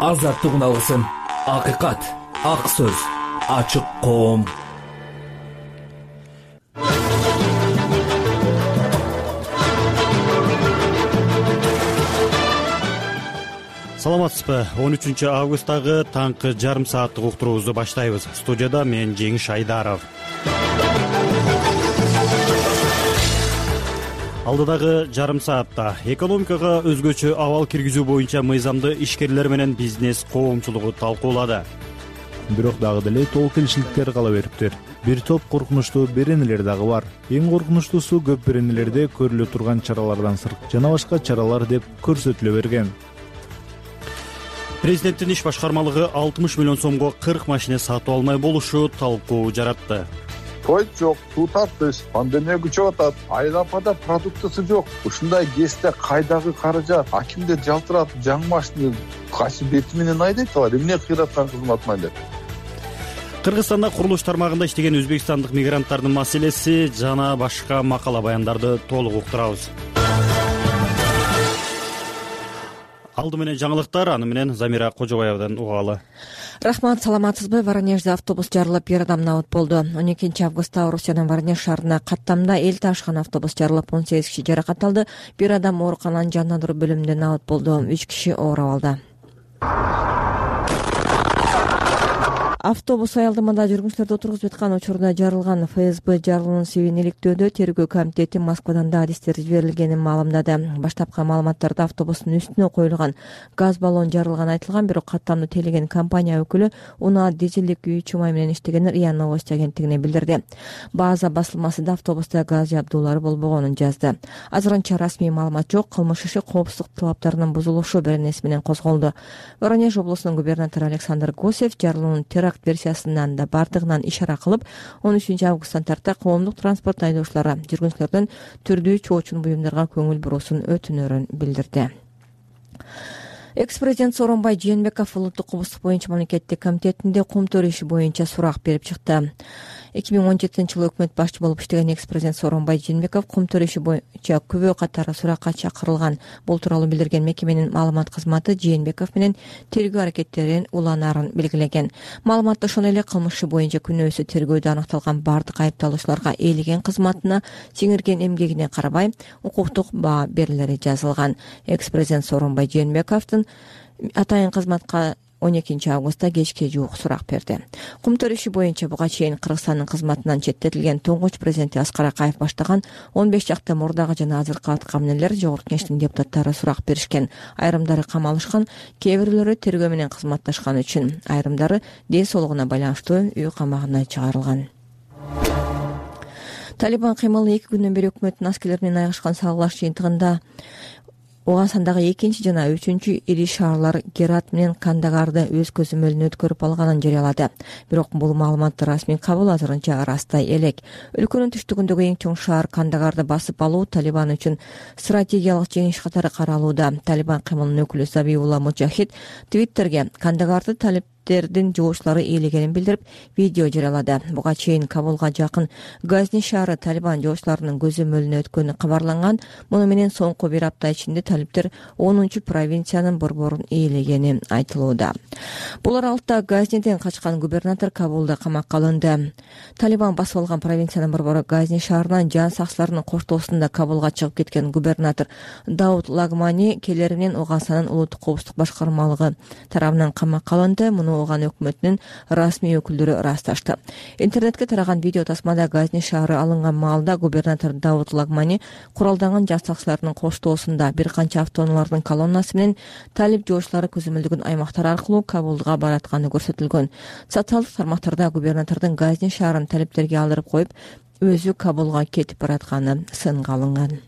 азаттык уналгысын, акыйкат, ак сөз, ачык коом. Саламатсызбы? 13 августтагы таңкы жарым сааттык уктуруубузду баштайбыз. Студияда мен Жеңиш Айдаров. Алдыдагы жарым саатта экономикага өзгөчө абал киргизүү боюнча мыйзамды ишкерлер менен бизнес коомчулугу талкуулады. Бирок дагы деле толук келишиликтер кала бериптир. Бир топ коркунучтуу беренелер дагы бар. Эң коркунучтуусу көп беренелерде көрүлө турган чаралардан сырт жана башка чаралар деп көрсөтүлө берген. Президенттин иш башкармалыгы 60 миллион сомго 40 машина сатып алмай болушу талкуу жаратты. Той жок, суу тартыш, пандемия күчөп атат, айыл-апада продуктысы жок. Ушундай кезде кайдагы каражат? Акимдер жалтыратып жаңы машина кайсы бети менен айдайт алар? Эмне кыйраткан кызматына деп. Кыргызстанда курулуш тармагында иштеген өзбекстандык мигранттардын маселеси жана башка макала баяндарды толук уктурабыз. Алды менен жаңылыктар, аны менен Замира Кожобаевден угалы. Рахмат, саламатсызбы? Воронежде автобус жарылып, бир адам набыт болду. 12 августта Орусиянын Воронеж шаарына каттамда эл ташыган автобус жарылып, 18 киши жаракат алды. Бир адам оорукананын жандандыруу бөлүмүндө набыт болду. 3 киши оор абалда. Автобус аялдамада жүргүнчүлөрдү отургузуп жаткан учурда жарылган. ФСБ жарылуунун себебин иликтөөдө тергөө комитети Москвадан да адистер жиберилгенин маалымдады. Баштапкы маалыматтарда автобустун үстүнө коюлган газ баллон жарылганы айтылган, бирок каттамды тейлеген компания өкүлү уна дизелдик күйүүчү май менен иштегенин РИА Новости агенттигине билдирди. База басылмасы да автобуста газ жабдуулары болбогонун жазды. Азырынча расмий маалымат жок. Кылмыш иши коопсуздук талаптарынын бузулушу беренеси менен козголду. Воронеж облусунун губернатору Александр Гусев жарылуунун теракт версиясынан да бардыгынан ишара кылып, 13 августтан тарта коомдук транспорт айдоочулары жүргүнчүлөрдөн түрдүү чоочун буюмдарга көңүл буруусун өтүнөрүн билдирди. Экс-президент Сооронбай Жээнбеков улуттук кубуздук боюнча мамлекеттик комитетинде кумтөр иши боюнча сурак берип чыкты. 2017-жылы өкмөт башчы болуп иштеген экс-президент Сооронбай Жээнбеков кумтөр иши боюнча күбө катары суракка чакырылган. Бул тууралуу билдирген мекеменин маалымат кызматы Жээнбеков менен тергөө аракеттерин уланаарын белгилеген. Маалыматта ошондой эле кылмыш иши боюнча күнөөсү тергөөдө аныкталган бардык айыпталуучуларга ээлеген кызматына, сиңирген эмгегине карабай укуктук баа берилери жазылган. Экс-президент Сооронбай Жээнбековдун атайын кызматка 12 августта кечке жуук сурак берди. Кумтөр иши боюнча буга чейин Кыргызстандын кызматынан четтетилген туңгуч президенти Аскар Акаев баштаган 15 жакты мурдагы жана азыркы аткаминерлер Жогорку Кеңештин депутаттары сурак беришкен. Айрымдары камалышкан, кээ бирөөлөрү тергөө менен кызматташкан үчүн, айрымдары ден соолугуна байланыштуу үй камагына чыгарылган. Талибан кыймылы 2 күндөн бери өкмөттүн аскерлери менен айгашкан салгылаш жыйынтыгында Оғансандагы 2 жана 3 ири шаарлар Герат менен Кандагарды өз көзөмөлүнө өткөрүп алганын жарыялады. Бирок бул маалыматты расмий кабыл азырынча растай элек. Өлкөнүн түштүгүндөгү эң чоң шаар Кандагарды басып алуу Талибан үчүн стратегиялык жеңиш катары каралууда. Талибан кыймылынын өкүлү Забиулла Мужахид Твиттерге Кандагарды талиптердин жоочулары ээлегенин билдирип, видео жарыялады. Буга чейин Кабулга жакын Газни шаары Талибан жоочуларынын көзөмөлүнө өткөнү кабарланган. Муну менен соңку бир апта ичинде талиптер 10 провинциянын борборун ээлегени айтылууда. Бул аралыкта Газниден качкан губернатор Кабулда камакка алынды. Талибан басып алган провинциянын борбору Газни шаарынан жан сакчыларынын коштоосунда Кабулга чыгып кеткен губернатор Дауд Лагмани келери менен Оғансандын улуттук коопсуздук башкармалыгы тарабынан камакка алынды. Муну Оған өкмөтүнүн расмий өкүлдөрү ырасташты. Интернетке тараган видео тасмада Газни шаары алынган маалда губернатор Дауд Лагмани куралданган жан сакчыларынын коштоосунда бир канча автоунаалардын колоннасы менен талип жоочулары көзөмөлдөгөн аймактар аркылуу Кабулга баратканы көрсөтүлгөн. Социалдык тармактарда губернатордун Газни шаарын талиптерге алдырып коюп, өзү Кабулга кетип баратканы сынга алынган.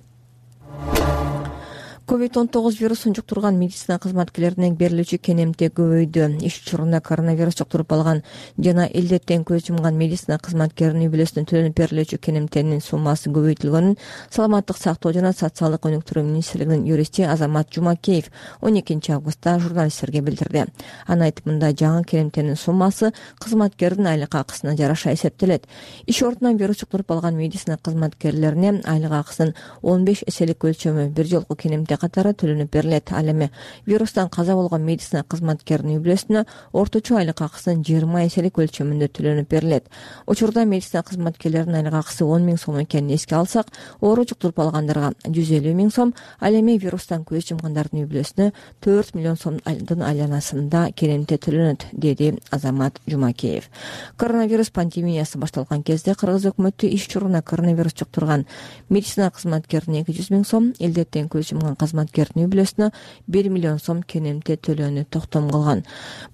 COVID-19 вирусун жуктурган медицина кызматкерлерине берилүүчү кенемте көбөйдү. Иш учурунда коронавирус жуктуруп алган жана илдеттен көз жумган медицина кызматкеринин үй бүлөсүнө төлөнүп берилүүчү кенемтенин суммасы көбөйтүлгөнүн Саламаттык сактоо жана социалдык өнүктүрүү министрлигинин юристи Азамат Жумакеев 12 августта журналисттерге билдирди. Анын айтымында жаңы кенемтенин суммасы кызматкердин айлык акысына жараша эсептелет. Иш ордунан вирус жуктуруп алган медицина кызматкерлерине айлык акысынын 15 эселик өлчөмү бир жолку кенемте катары төлөнүп берилет. Ал эми вирустан каза болгон медицина кызматкеринин үй бүлөсүнө орточо айлык акысынын 20 эселик өлчөмүндө төлөнүп берилет. Учурда медицина кызматкерлеринин айлык акысы 10 000 сом экенин эске алсак, оору жуктуруп алгандарга 150 000 сом, ал эми вирустан көз жумгандардын үй бүлөсүнө 4 миллион сомдун айланасында кенемте төлөнөт, деди Азамат Жумакеев. Коронавирус пандемиясы башталган кезде Кыргыз өкмөтү иш чоруна коронавирус жуктурган медицина кызматкерине 200 000 сом, илдеттен көз жумган кызматкердин үй бүлөсүнө 1 миллион сом кенемте төлөөнү токтом кылган.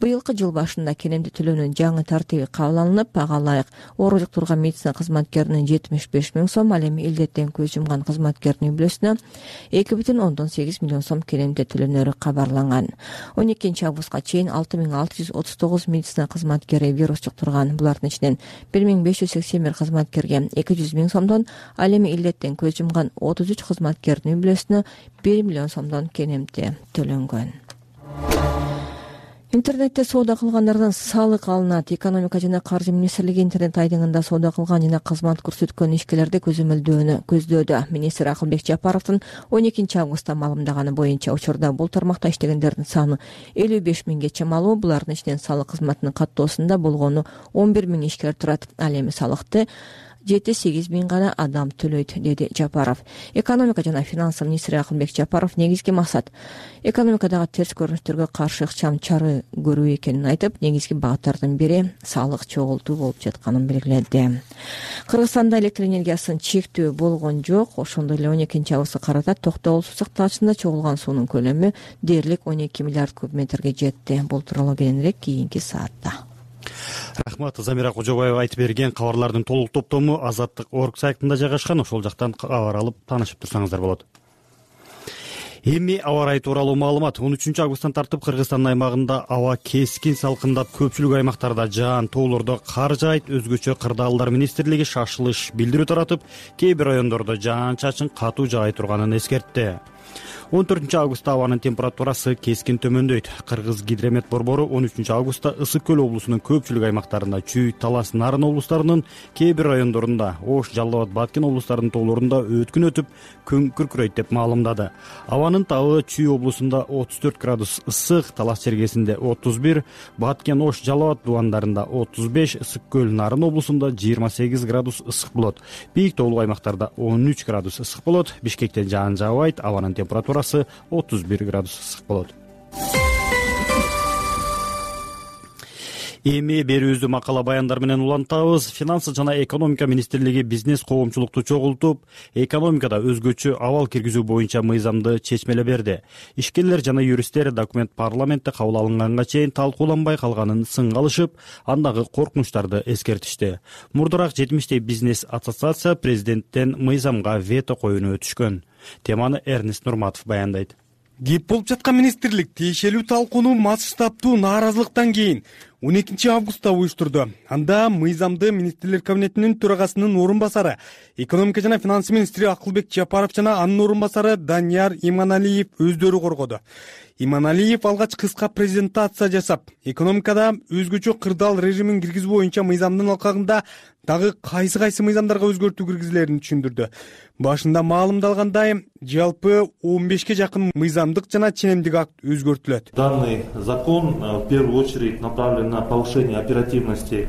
Быйылкы жыл башында кенемте төлөөнүн жаңы тартиби кабыл алынып, ага ылайык оору жуктурган медицина кызматкерине 75 000 сом, ал эми илдеттен көз жумган кызматкердин үй бүлөсүнө 2,8 миллион сом кенемте төлөнөрү кабарланган. 12 августка чейин 6639 медицина кызматкери вирус жуктурган. Булардын ичинен 1581 кызматкерге 200 000 сомдон, ал эми илдеттен көз жумган 33 кызматкердин үй бүлөсүнө 1 миллион сомдон кенемте төлөнгөн. Интернетте соода кылгандардан салык алынат. Экономика жана каржы министрлиги интернет айдыңында соода кылган жана кызмат көрсөткөн ишкерлерди көзөмөлдөөнү көздөөдө. Министр Акылбек Жапаровдун 12 августта маалымдаганы боюнча учурда бул тармакта иштегендердин саны 55 000ге чамалуу. Булардын ичинен салык кызматынын каттоосунда болгону 11 000 ишкер турат. Ал эми салыкты 7-8 000 гана адам төлөйт, деди Жапаров. Экономика жана финансы министри Акылбек Жапаров негизги максат экономикадагы терс көрүнүштөргө каршы ыкчам чара көрүү экенин айтып, негизги багыттардын бири салык чогултуу болуп жатканын белгиледи. Кыргызстанда электр энергиясын чектөө болгон жок. Ошондой эле 12 августка карата Токтогул суу сактагычында чогулган суунун көлөмү дээрлик 12 миллиард куб метрге жетти. Бул тууралуу кийинирээк кийинки саатта. Рахмат, Замира Кожобаева айтып берген кабарлардын толук топтому Азаттык.org сайтында жайгашкан. Ошол жактан кабар алып таанышып турсаңыздар болот. Эми аба ырайы тууралуу маалымат. 13 августтан тартып Кыргызстан аймагында аба кескин салкындап, көпчүлүк аймактарда жаан, тоолордо кар жаайт. Өзгөчө Кырдаалдар министрлиги шашылыш билдирүү таратып, кээ бир райондордо жаан-чачын катуу жаай турганын эскертти. 14 августта абанын температурасы кескин төмөндөйт. Кыргыз гидромет борбору 13 августта Ысык көл облусунун көпчүлүк аймактарында, Чүй, Талас, Нарын облустарынын кээ бир райондорунда, Ош, Жалал Абад, Баткен облустарынын тоолорунда өткүн өтүп, күн күркүрөйт деп маалымдады. Абанын табы Чүй облусунда 34 градус ысык, Талас чергесинде 31, Баткен, Ош, Жалал Абад дубандарында 35, Ысык көл, Нарын облусунда 28 градус ысык болот. Бийик тоолук аймактарда 13 градус ысык болот. Бишкекте жаан жаабайт, абанын температурасы 31 градус ысык болот. Эми берүүбүздү макала баяндар менен улантабыз. Финансы жана экономика министрлиги бизнес коомчулукту чогултуп, экономикада өзгөчө абал киргизүү боюнча мыйзамды чечмелеп берди. Ишкерлер жана юристтер документ парламентте кабыл алынганга чейин талкууланбай калганын сынга алышып, андагы коркунучтарды эскертишти. Мурдараак 70 бизнес ассоциация президенттен мыйзамга вето коюуну өтүшкөн. Теманы Эрнест Нурматов баяндайт. Кеп болуп жаткан министрлик тиешелүү талкууну масштабтуу нааразылыктан кийин 12 августта уюштурду. Анда мыйзамды министрлер кабинетинин төрагасынын орун басары, экономика жана финансы министри Акылбек Жапаров жана анын орун басары Данияр Иманалиев өздөрү коргоду. Иманалиев алгач кыска презентация жасап, экономикада өзгөчө кырдаал режимин киргизүү боюнча мыйзамдын алкагында дагы кайсы мыйзамдарга өзгөртүү киргизилерин түшүндүрдү. Башында маалымдалгандай, жалпы 15ке жакын мыйзамдык жана ченемдик акт өзгөртүлөт. Данный закон в первую очередь направлен на повышение оперативности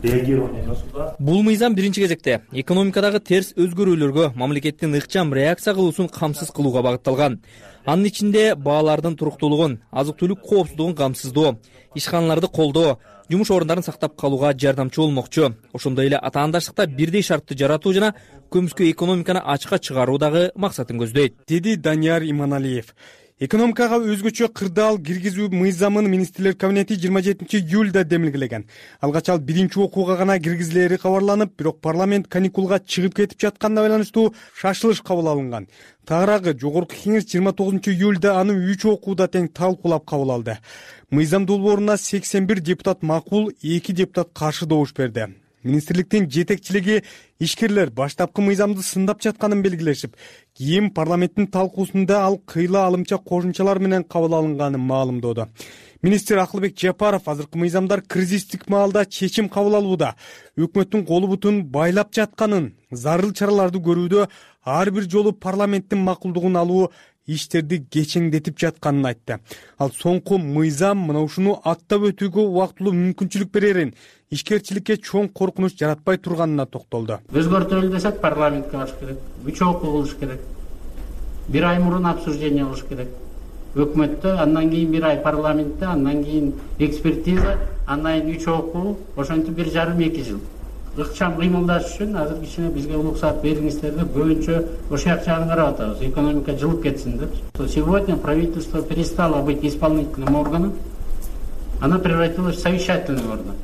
реагирования государства. Бул мыйзам биринчи кезекте экономикадагы терс өзгөрүүлөргө мамлекеттин ыкчам реакция кылуусун камсыз кылууга багытталган. Анын ичинде баалардын туруктуулугун, азык-түлүк коопсуздугун камсыздоо, ишканаларды колдоо, жумуш орундарын сактап калууга жардамчы болмокчу. Ошондой эле атаандаштыкта бирдей шартты жаратуу жана көмүскө экономиканы ачыкка чыгаруу дагы максатын көздөйт, деди Данияр Иманалиев. Экономикага өзгөчө кырдаал киргизүү мыйзамын министрлер кабинети 27 июлда демилгелеген. Алгач ал биринчи окууга гана киргизилери кабарланып, бирок парламент каникулга чыгып кетип жатканына байланыштуу шашылыш кабыл алынган. Тагыраагы жогорку кеңеш 29 июлда аны 3 окууда тең талкуулап кабыл алды. Мыйзам долбооруна 81 депутат макул, 2 депутат каршы добуш берди. Министрликтин жетекчилиги ишкерлер баштапкы мыйзамды сындап жатканын белгилешип, кийин парламенттин талкуусунда ал кыйла алымча кошумчалар менен кабыл алынганын маалымдоодо. Министр Акылбек Жапаров азыркы мыйзамдар кризистик маалда чечим кабыл алууда, өкмөттүн колу бутун байлап жатканын, зарыл чараларды көрүүдө ар бир жолу парламенттин макулдугун алуу иштерди кечеңдетип жатканын айтты. Ал соңку мыйзам мына ушуну аттап өтүүгө убактылуу мүмкүнчүлүк берерин, ишкерчиликке чоң коркунуч жаратпай турганына токтолду. Өзгөртөлү десек парламентке барыш керек, 3 окуу кылыш керек. 1 ай мурун обсуждение кылыш керек. Өкмөттө, андан кийин 1 ай парламентте, андан кийин экспертиза, андан кийин 3 окуу, ошентип 1,5-2 жыл. Ыкчам кыймылдаш үчүн азыр кичине бизге уруксат бериңиздер деп көбүнчө ошол жагын карап атабыз. Экономика жылып кетсин деп. Сегодня правительство перестало быть исполнительным органом, оно превратилось в совещательный орган.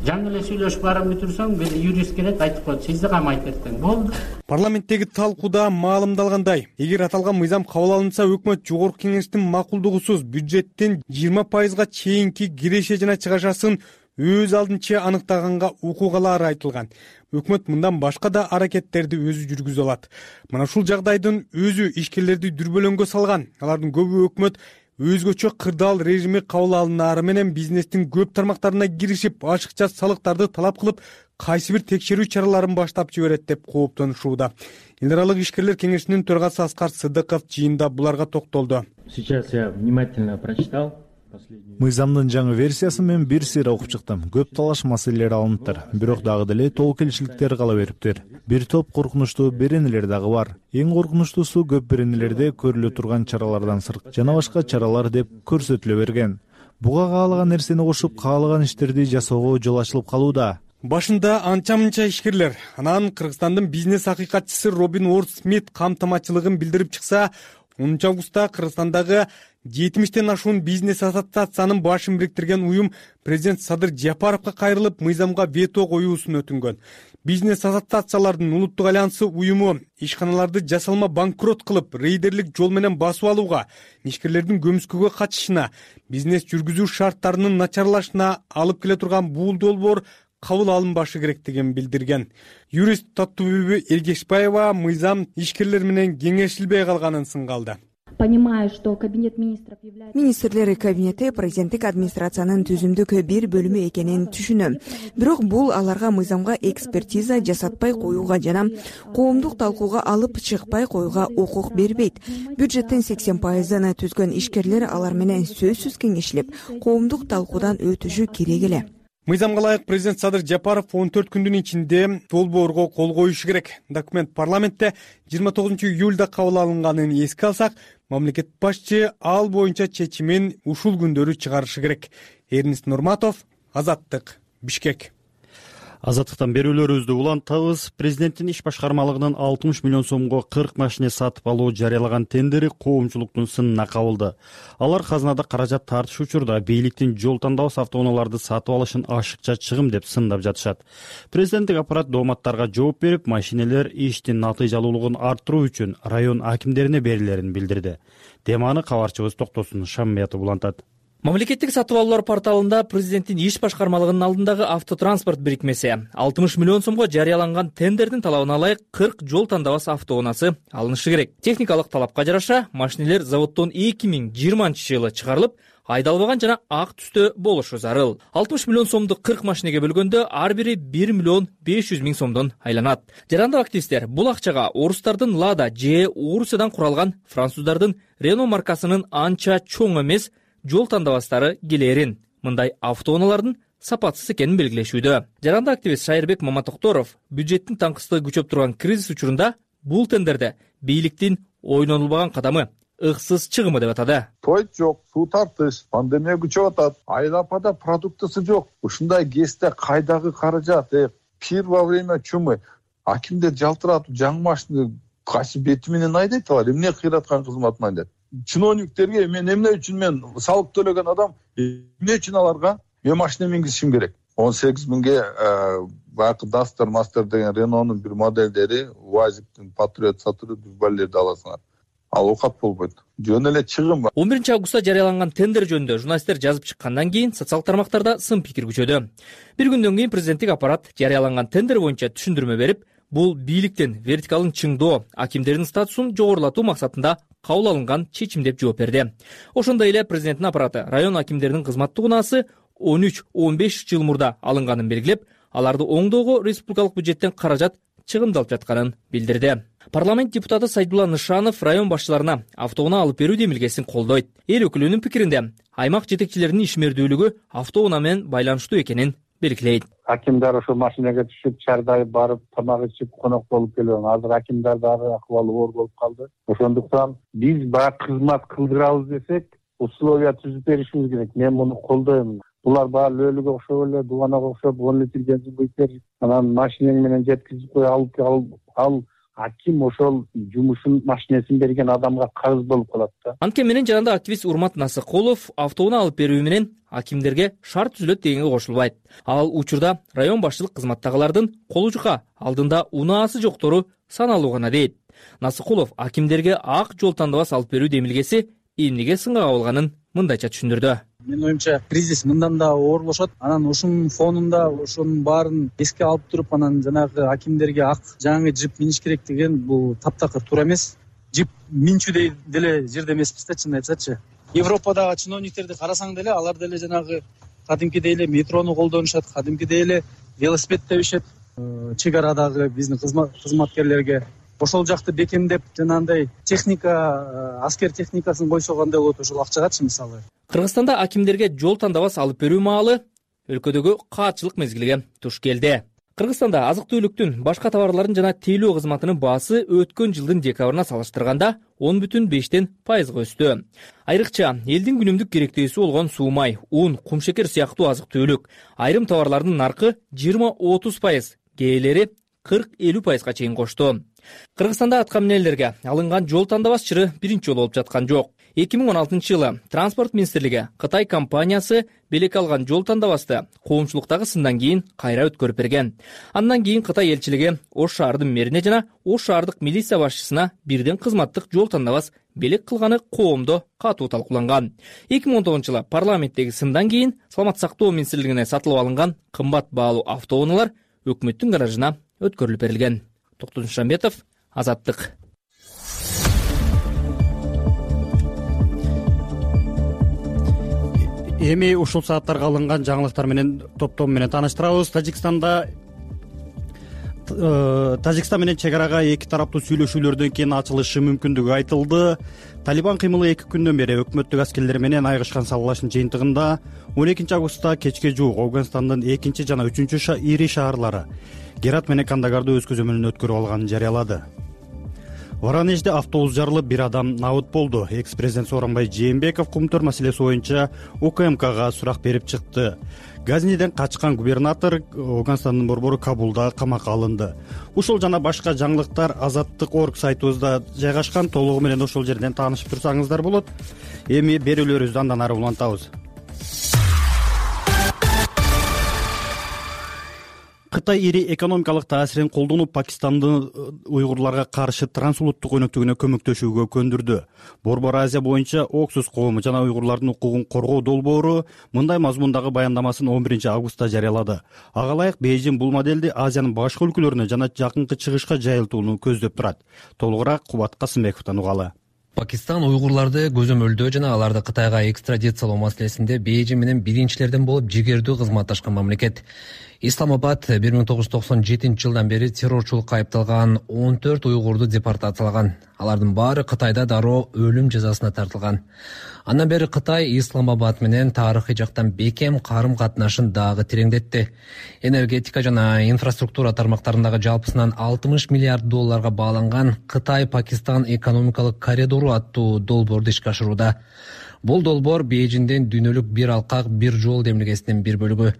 Жаңы эле сүйлөшүп барып бүтүрсөң, бир юрист келет, айтып коет, сизди камайт эртең. Болду. Парламенттеги талкууда маалымдалгандай, эгер аталган мыйзам кабыл алынса, өкмөт жогорку кеңештин макулдугусуз бюджеттин 20% чейинки киреше жана чыгашасын өз алдынча аныктаганга укугалары айтылган. Өкмөт мындан башка да аракеттерди өзү жүргүзө алат. Мына ушул жагдайдын өзү ишкерлерди дүрбөлөңгө салган. Алардын көбү өкмөт өзгөчө кырдаал режими кабыл алынаары менен бизнестин көп тармактарына киришип, ашыкча салыктарды талап кылып, кайсы бир текшерүү чараларын баштап жиберет деп кооптонушууда. Эл аралык ишкерлер кеңешинин төрагасы Аскар Сыдыков жыйында буларга токтолду. Сейчас я внимательно прочитал. Мыйзамдын жаңы версиясын мен бир сыйра окуп чыктым. Көп талаш маселелер алыныптыр. Бирок дагы деле толук келишиликтер кала бериптир. Бир топ коркунучтуу беренелер дагы бар. Эң коркунучтуусу көп беренелерде көрүлө турган чаралардан сырт жана башка чаралар деп көрсөтүлө берген. Буга каалаган нерсени кошуп, каалаган иштерди жасоого жол ачылып калууда. Башында анча-мынча ишкерлер, анан Кыргызстандын бизнес акыйкатчысы Робин Уорд Смит камтамачылыгын билдирип чыкса, 10 августта Кыргызстандагы 70тен ашуун бизнес ассоциациянын башын бириктирген уюм президент Садыр Жапаровго кайрылып, мыйзамга вето коюусун өтүнгөн. Бизнес ассоциациялардын улуттук альянсы уюму ишканаларды жасалма банкрот кылып, рейдерлик жол менен басып алууга, ишкерлердин көмүскөгө катышына, бизнес жүргүзүү шарттарынын начарлашына алып келе турган бул долбоор кабыл алынбашы керектигин билдирген. Юрист Таттубүбү Элгешбаева мыйзам ишкерлер менен кеңешилбей калганын сынгалды. Понимаю, что кабинет министров является... Министрлер кабинети президенттик администрациянын түзүмдүк бир бөлүмү экенин түшүнөм. Бирок бул аларга мыйзамга экспертиза жасатпай коюуга жана коомдук талкууга алып чыкпай коюуга укук бербейт. Бюджеттин 80%-ын түзгөн ишкерлер алар менен сөзсүз кеңешилип, коомдук талкуудан өтүшү керек эле. Мыйзамга ылайык президент Садыр Жапаров 14 күндүн ичинде долбоорго кол коюшу керек. Документ парламентте 29 июлда кабыл алынганын эске алсак, мамлекет башчы ал боюнча чечимин ушул күндөрү чыгарышы керек. Эрнест Нурматов, Азаттык, Бишкек. Азаттыктан берүүлөрүбүздү улантабыз. Президенттин иш башкармалыгынын 60 миллион сомго 40 машина сатып алуу жарыялаган тендери коомчулуктун сынына кабылды. Алар казынада каражат тартыш учурда бийликтин жол тандабас автоунааларды сатып алышын ашыкча чыгым деп сындап жатышат. Президенттик аппарат дооматтарга жооп берип, машинелер иштин натыйжалуулугун арттыруу үчүн район акимдерине берилерин билдирди. Теманы кабарчыбыз Токтосун Шаммиятов улантат. Мамлекеттик сатып алуулар порталында президенттин иш башкармалыгынын алдындагы автотранспорт бирикмеси 60 миллион сомго жарыяланган тендердин талабына ылайык 40 жол тандабас автоунаасы алынышы керек. Техникалык талапка жараша машинелер заводдон 2020-жылы чыгарылып, айдалбаган жана ак түстө болушу зарыл. 60 миллион сомду 40 машинеге бөлгөндө ар бири 1 миллион 500 миң сомдон айланат. Жарандык активисттер бул акчага орустардын Лада же Урусиядан куралган француздардын Рено маркасынын анча чоң эмес жол тандабастары келерин, мындай автоунаалардын сапатсыз экенин белгилешүүдө. Жарандык активист Шайырбек Маматокторов бюджеттин таңкыстыгы күчөп турган кризис учурунда бул тендерде бийликтин ойнонулбаган кадамы ыксыз чыгымы деп атады. Той жок, суу тартыш, пандемия күчөп атат, айрапада продуктысы жок. Ушундай кезде кайдагы каражат? Пир во время чумы акимдер жалтыратып жаңы машина кайсы бети менен айдайт алар? Эмне кыйраткан кызматын айдайт? Чиновниктерге мен эмне үчүн мен салык төлөгөн адам эмне үчүн аларга мен машина мингизишим керек? 18 миңге баягы Duster Master деген Renault'нун бир моделдери, Уваziktин Patriot сатылып баллерди аласыңар. Ал окат болбойт. Жөн эле чыгым. 11 августта жарыяланган тендер жөнүндө журналисттер жазып чыккандан кийин социалдык тармактарда сын пикир күчөдү. Bir күндөн кийин президенттик аппарат жарыяланган тендер боюнча түшүндүрмө берип, бул бийликтин вертикалын чыңдоо, акимдердин статусун жогорулатуу максатында кабыл алынган чечим деп жооп берди. Ошондой эле президенттин аппараты район акимдеринин кызматтык унаасы 13-15 жыл мурда алынганын белгилеп, аларды оңдоого республикалык бюджеттен каражат чыгымдалып жатканын билдирди. Парламент депутаты Сайдулла Нышанов район башчыларына автоунаа алып берүү демилгесин колдойт. Эл өкүлүнүн пикиринде аймак жетекчилеринин ишмердүүлүгү автоунаа менен байланыштуу экенин белгилейт. Акимдар ошо машинага түшүп чардайып барып тамак ичип конок болуп келген. Азыр акимдар дагы акыбалы оор болуп калды. Ошондуктан биз баягы кызмат кылдырабыз десек, условия түзүп беришибиз керек. Мен муну колдойм. Булар баары лөлүгө окшоп эле, дуганага окшоп 10 литр бензин куюп бер, анан машинең менен жеткизип кой, ал аким ошол жумушун машинесин берген адамга карыз болуп калат да. Анткени менен жанагы активист Урмат Насыкулов автоунаа алып берүү менен акимдерге шарт түзүлөт дегенге кошулбайт. Ал учурда район башчылык кызматтагылардын колу жука алдында унаасы жоктору саналуу гана дейт. Насыкулов акимдерге ак жол тандабас алып берүү демилгеси эмнеге сынга кабылганын мындайча түшүндүрдү. Менин оюмча кризис мындан да оорлошот. Анан ушунун фонунда ошонун баарын эске алып туруп, анан жанагы акимдерге ак жаңы джип миниш керек деген бул таптакыр туура эмес. Джип минчүдөй деле жерде эмеспиз да, чынын айтсачы. Европадагы чиновниктерди карасаң деле алар деле жанагы кадимкидей эле метрону колдонушат, кадимкидей эле велосипед тебишет. Чек арадагы биздин кызматкерлерге ошол жакты бекемдеп, жанагындай техника, аскер техникасын койсо кандай болот ошол акчагачы мисалы. Кыргызстанда акимдерге жол тандабас алып берүү маалы өлкөдөгү каатчылык мезгилиге туш келди. Кыргызстанда азык-түлүктүн, башка товарлардын жана тейлөө кызматынын баасы өткөн жылдын декабрына салыштырганда 10,5% өстү. Айрыкча элдин күнүмдүк керектөөсү болгон суу май, ун, кумшекер сыяктуу азык-түлүк, айрым товарлардын наркы 20-30%, кээделери 40-50%га чейин кошту. Кыргызстанда атка минелерге алынган жол тандабас чыры биринчи жолу болуп жаткан жок. 2016-жылы Транспорт министрлиги Кытай компаниясы белек алган жол тандабасты коомчулуктагы сындан кийин кайра өткөрүп берген. Андан кийин Кытай элчилиги Ош шаардын мэрине жана Ош шаардык милиция башчысына бирден кызматтык жол тандабас белек кылганы коомдо катуу талкууланган. 2019-жылы парламенттеги сындан кийин Саламаттык сактоо министрлигине сатылып алынган кымбат баалуу автоунaalар өкмөттүн гаражына өткөрүлүп берилген. Токтогул Шамбетов, Азаттык. Эми ушул сааттарга алынган жаңылыктар менен топтом менен тааныштырабыз. Тажикстан менен чек арага эки тараптуу сүйлөшүүлөрдөн кийин ачылышы мүмкүндүгү айтылды. Талибан кыймылы 2 күндөн бери өкмөттүк аскерлер менен айгышкан салгылаштын жыйынтыгында 12 августта кечке жуук Афганистандын 2 жана 3 ири шаарлары Герат менен Кандагарды өз көзөмөлүнө өткөрүп алганын жарыялады. Воронежде автобус жарылып, бир адам набыт болду. Экс-президент Сооронбай Жээнбеков кумтөр маселеси боюнча УКМКга сурак берип чыкты. Газниден качкан губернатор Афганистандын борбору Кабулда камакка алынды. Ушул жана башка жаңылыктар Азаттык.org сайтыбызда жайгашкан. Толугу менен ошол жерден таанышып турсаңыздар болот. Эми берүүлөрүбүздү андан ары улантабыз. Кытай ири экономикалык таасирин колдонуп, Пакистандын уйгурларга каршы трансулуттук өнөктүгүнө көмөктөшүүгө көндүрдү. Борбор Азия боюнча Оксус коому жана уйгурлардын укугун коргоо долбоору мындай мазмундагы баяндамасын 11 августта жарыялады. Ага ылайык Бейжиң бул моделди Азиянын башка өлкөлөрүнө жана жакынкы чыгышка жайылтууну көздөп турат. Толугураак Кубат Касымбековдон угалы. Пакистан уйгурларды көзөмөлдөө жана аларды Кытайга экстрадициялоо маселесинде Бейжиң менен биринчилерден болуп жигердүү кызматташкан мамлекет. Исламабад 1997 жылдан бери террорчулукка айыпталган 14 уйгурду депортациялаган. Алардын баары Кытайда дароо өлүм жазасына тартылган. Андан бери Кытай Исламабад менен тарыхый жактан бекем карым-катнашын дагы тереңдетти. Энергетика жана инфраструктура тармактарындагы жалпысынан 60 миллиард долларга бааланган Кытай-Пакистан экономикалык коридору аттуу долбоорду ишке ашырууда. Бул долбоор Бейжиңдин дүйнөлүк бир алкак, бир жол демилгесинин бир бөлүгү.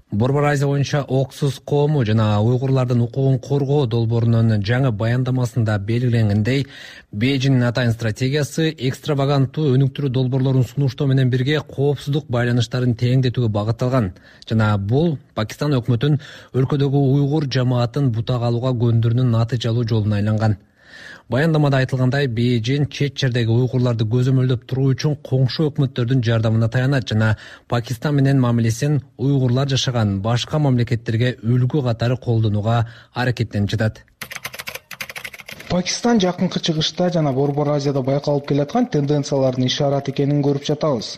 Борбор Азия боюнча Оксус коому жана уйгурлардын укугун коргоо долбоорунун жаңы баяндамасында белгиленгендей, Бейжиңдин атайын стратегиясы экстраваганттуу өнүктүрүү долбоорлорун сунуштоо менен бирге коопсуздук байланыштарын тереңдетүүгө багытталган жана бул Пакистан өкмөтүн өлкөдөгү уйгур жамаатын бутак алууга көндүрүүнүн натыйжалуу жолуна айланган. Баяндамада айтылгандай, Бейжиң чет жердеги уйгурларды көзөмөлдөп туруу үчүн коңшу өкмөттөрдүн жардамына таянат жана Пакистан менен мамилесин уйгурлар жашаган башка мамлекеттерге үлгү катары колдонууга аракеттенип жатат. Пакистан жакынкы чыгышта жана Борбор Азияда байкалып келаткан тенденциялардын ишараты экенин көрүп жатабыз.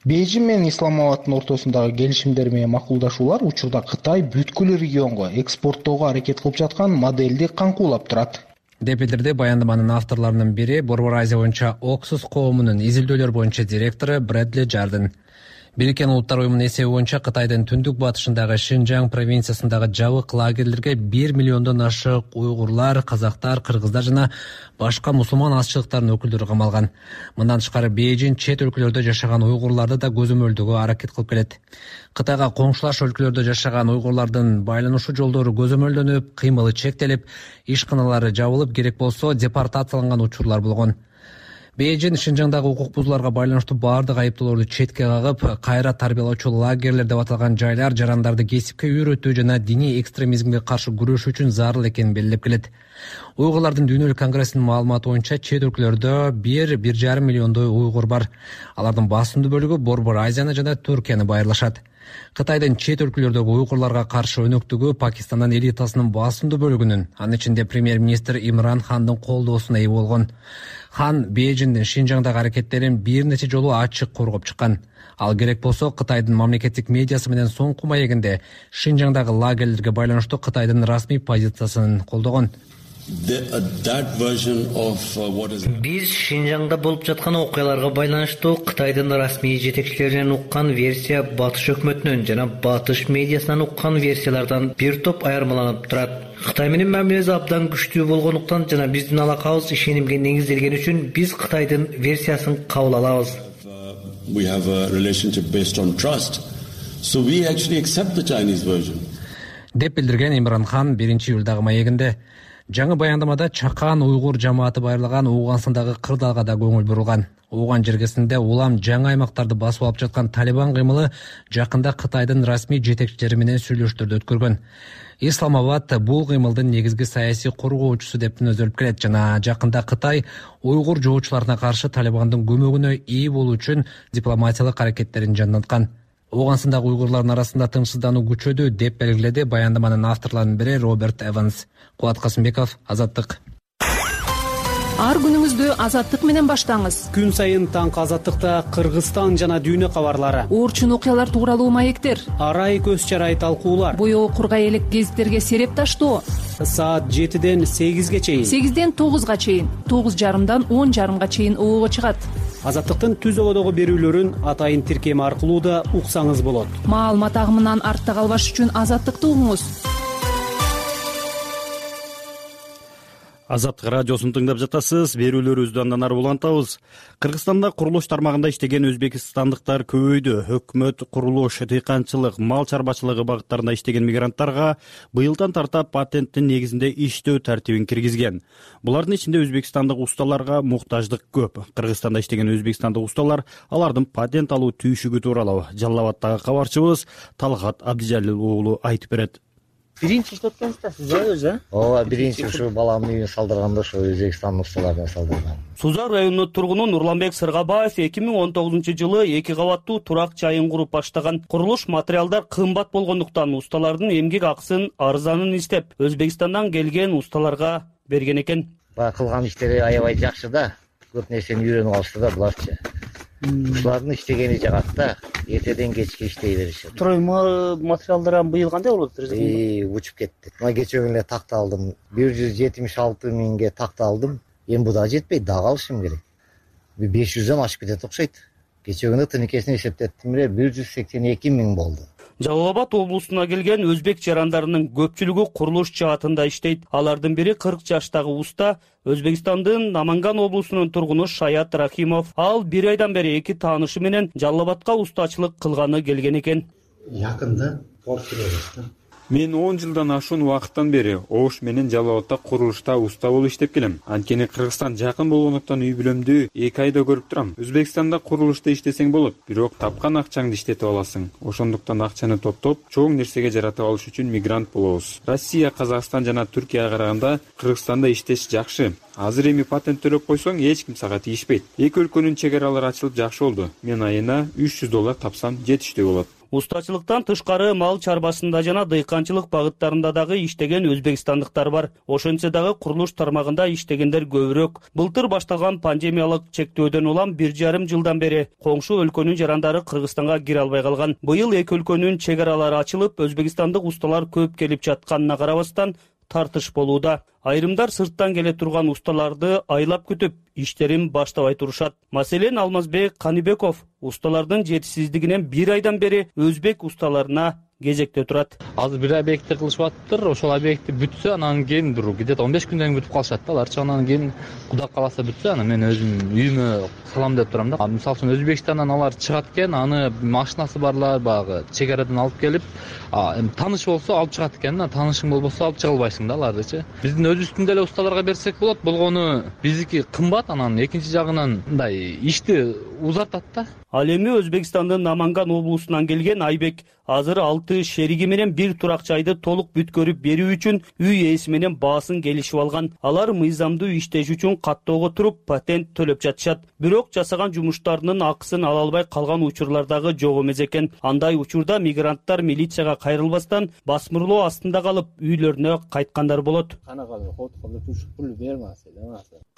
Бейжиң менен Исламабаддын ортосундагы келишимдер менен макулдашуулар учурда Кытай бүткүл регионго экспорттоого аракет кылып жаткан модельди каңкуулап турат. деп билдирди баяндаманын авторлорунун бири Борбор Азия боюнча Оксус коомунун изилдөөлөр боюнча директору Брэдли Жарден. Бириккен Улуттар уюмунун эсеби боюнча Кытайдын түндүк батышындагы Шинжаң провинциясындагы жабык лагерлерге 1 миллиондон ашык уйгурлар, казактар, кыргыздар жана башка мусулман азчылыктарынын өкүлдөрү камалган. Мындан тышкары Бейжиң чет өлкөлөрдө жашаган уйгурларды да көзөмөлдөгө аракет кылып келет. Кытайга коңшулаш өлкөлөрдө жашаган уйгурлардын байланышуу жолдору көзөмөлдөнүп, кыймылы чектелип, ишканалары жабылып, керек болсо депортацияланган учурлар болгон. Бейжиң Шинжаңдагы укук бузууларга байланыштуу баардык айыптоолорду четке кагып, кайра тарбиялоочу лагерлер деп аталган жайлар жарандарды кесипке үйрөтүү жана диний экстремизмге каршы күрөшүү үчүн зарыл экенин белгилеп келет. Уйгурлардын дүйнөлүк конгрессинин маалыматы боюнча чет өлкөлөрдө 1,5 миллиондой уйгур бар. Алардын басымдуу бөлүгү Борбор Азияны жана Түркияны байырлашат. Кытайдын чет өлкөлөрдөгү уйгурларга каршы өнөктүгү Пакистандын элитасынын басымдуу бөлүгүнүн, анын ичинде премьер-министр Имран Хандын колдоосуна ээ болгон. Хан Бейжиңдин Шинжаңдагы аракеттерин бир нече жолу ачык коргоп чыккан. Ал керек болсо Кытайдын мамлекеттик медиасы менен соңку маегинде Шинжаңдагы лагерлерге байланыштуу Кытайдын расмий позициясын колдогон. Биз Шинжаңда болуп жаткан окуяларга байланыштуу Кытайдын расмий жетекчилеринен уккан версия Батыш өкмөтүнөн жана Батыш медиасынан уккан версиялардан бир топ айырмаланып турат. Кытай менен мамилеси абдан күчтүү болгондуктан жана биздин алакабыз ишенимге негизделген үчүн биз Кытайдын версиясын кабыл алабыз. Деп билдирген Имран Хан 1-июлдагы маегинде. Жаңы баяндамада чакан уйгур жамааты байырлаган Ооганстандагы кырдаалга да көңүл бурулган. Ооган жергесинде улам жаңы аймактарды басып алып жаткан Талибан кыймылы жакында Кытайдын расмий жетекчилери менен сүйлөшүүлөрдү өткөргөн. Исламабад бул кыймылдын негизги саясий коргоочусу деп мүнөздөлүп келет жана жакында Кытай уйгур жоочуларына каршы Талибандын көмөгүнө ээ болуу үчүн дипломатиялык аракеттерин жандаткан. Ооганстандагы уйгурлардын арасында тынчсыздануу күчөдү деп белгиледи баяндаманын авторлорунун бири Роберт Эванс. Кубат Касымбеков, Азаттык. Ар күнүңүздү Азаттык менен баштаңыз. Күн сайын таңкы Азаттыкта Кыргызстан жана дүйнө кабарлары, орчун окуялар тууралуу маектер, арай көз чарай талкуулар, боёо кургай элек гезиттерге сереп таштоо. Саат 7-ден 8-ге чейин, 8-ден 9-га чейин, 9:30-дан 10:30-га чейин оого чыгат. Азаттыктын түз ободогу берүүлөрүн атайын тиркем аркылуу да уксаңыз болот. Маалымат агымынан артта калбаш үчүн Азаттыкты угуңуз. Азаттык радиосун тыңдап жатасыз. Берүүлөрүбүздү андан ары улантабыз. Кыргызстанда курулуш тармагында иштеген өзбекстандыктар көбөйдү. Өкмөт курулуш, дыйканчылык, мал чарбачылыгы багыттарында иштеген мигранттарга быйылдан тарта патенттин негизинде иштөө тартибин киргизген. Булардын ичинде өзбекстандык усталарга муктаждык көп. Кыргызстанда иштеген өзбекстандык усталар алардын патент алуу түйшүгү тууралуу Жалал Абадтагы кабарчыбыз Талгат Абдижалил уулу айтып берет. Биринчи иштеп келсиңиз да өзү? Ооба, биринчи ушу баламдын үйүн салдырганда ошо Өзбекстандын усталарына салдыргам. Сузак районунун тургуну Нурланбек Сыргабаев 2019-жылы 2 кабаттуу турак жайын куруп баштаган. Курулуш материалдар кымбат болгондуктан усталардын эмгек акысын арзанын издеп Өзбекстандан келген усталарга берген экен. Баягы кылган иштери аябай жакшы да. Көп нерсени үйрөнүп алышты да буларчы. Ушулардын иштегени жагат да, эртеден кечке иштей беришет. Строймо материалдар быйыл кандай болот? Учуп кетти. Мына кечээ күнү такта алдым. 176 миңге такта алдым. Эми бу да жетпейт, дагы алышым керек. 500дөн ашып кетет окшойт. Кечээ күнү тыныкесин эсептеттим эле 182 миң болду. Жалал Абад облусуна келген өзбек жарандарынын көпчүлүгү курулуш жаатында иштейт. Алардын бири 40 жаштагы уста, Өзбекстандын Наманган облусунун тургуну Шаят Рахимов. Ал 1 айдан бери 2 таанышы менен Жалал Абадка устачылык кылганы келген экен. Якында порт. Мен 10 жылдан ашуун убакыттан бери Ош менен Жалал Абадта курулушта уста болуп иштеп келем. Анткени Кыргызстан жакын болгондуктан үй бүлөмдү 2 айда көрүп турам. Өзбекстанда курулушта иштесең болот, бирок тапкан акчаңды иштетип аласың. Ошондуктан акчаны топтоп, чоң нерсеге жаратып алыш үчүн мигрант болобуз. Россия, Казакстан жана Түркияга караганда Кыргызстанда иштеш жакшы. Азыр эми патент төлөп койсоң, эч ким сага тийишпейт. Эки өлкөнүн чек аралары ачылып жакшы болду. Мен айына $300 тапсам жетиштүү болот. Устачылыктан тышкары мал чарбасында жана дыйканчылык багыттарында дагы иштеген өзбекстандыктар бар. Ошентсе дагы курулуш тармагында иштегендер көбүрөөк. Былтыр башталган пандемиялык чектөөдөн улам 1,5 жылдан бери коңшу өлкөнүн жарандары Кыргызстанга кире албай калган. Быйыл эки өлкөнүн чек аралары ачылып, өзбекстандык усталар көп келип жатканына карабастан, тартыш болууда. Айрымдар сырттан келе турган усталарды айлап күтүп, иштерин баштабай турушат. Маселен, Алмазбек Каныбеков усталардын жетишсиздигинен 1 айдан бери өзбек усталарына кезекте турат. Азыр бир объектти кылышып атыптыр. Ошол объекти бүтсө, анан кийин где-то 15 күндөн бүтүп калышат да. Аларчы анан кийин Кудай кааласа бүтсө, анан мен өзүм үйүмө салам деп турам да. Мисалы үчүн Өзбекстандан алар чыгат экен, аны машинасы барлар баягы чек арадан алып келип, тааныш болсо алып чыгат экен да, таанышың болбосо алып чыга албайсың да алардычы. Биздин өзүбүздүн деле усталарга берсек болот. Болгону биздики кымбат, анан экинчи жагынан мындай ишти узартат да. Ал эми Өзбекстандын Наманган облусунан келген Айбек азыр 6 шериги менен бир турак жайды толук бүткөрүп берүү үчүн үй ээси менен баасын келишип алган. Алар мыйзамдуу иштеш үчүн каттоого туруп патент төлөп жатышат. Бирок жасаган жумуштарынын акысын ала албай калган учурлар дагы жок эмес экен. Андай учурда мигранттар милицияга кайрылбастан басмырлоо астында калып үйлөрүнө кайткандар болот.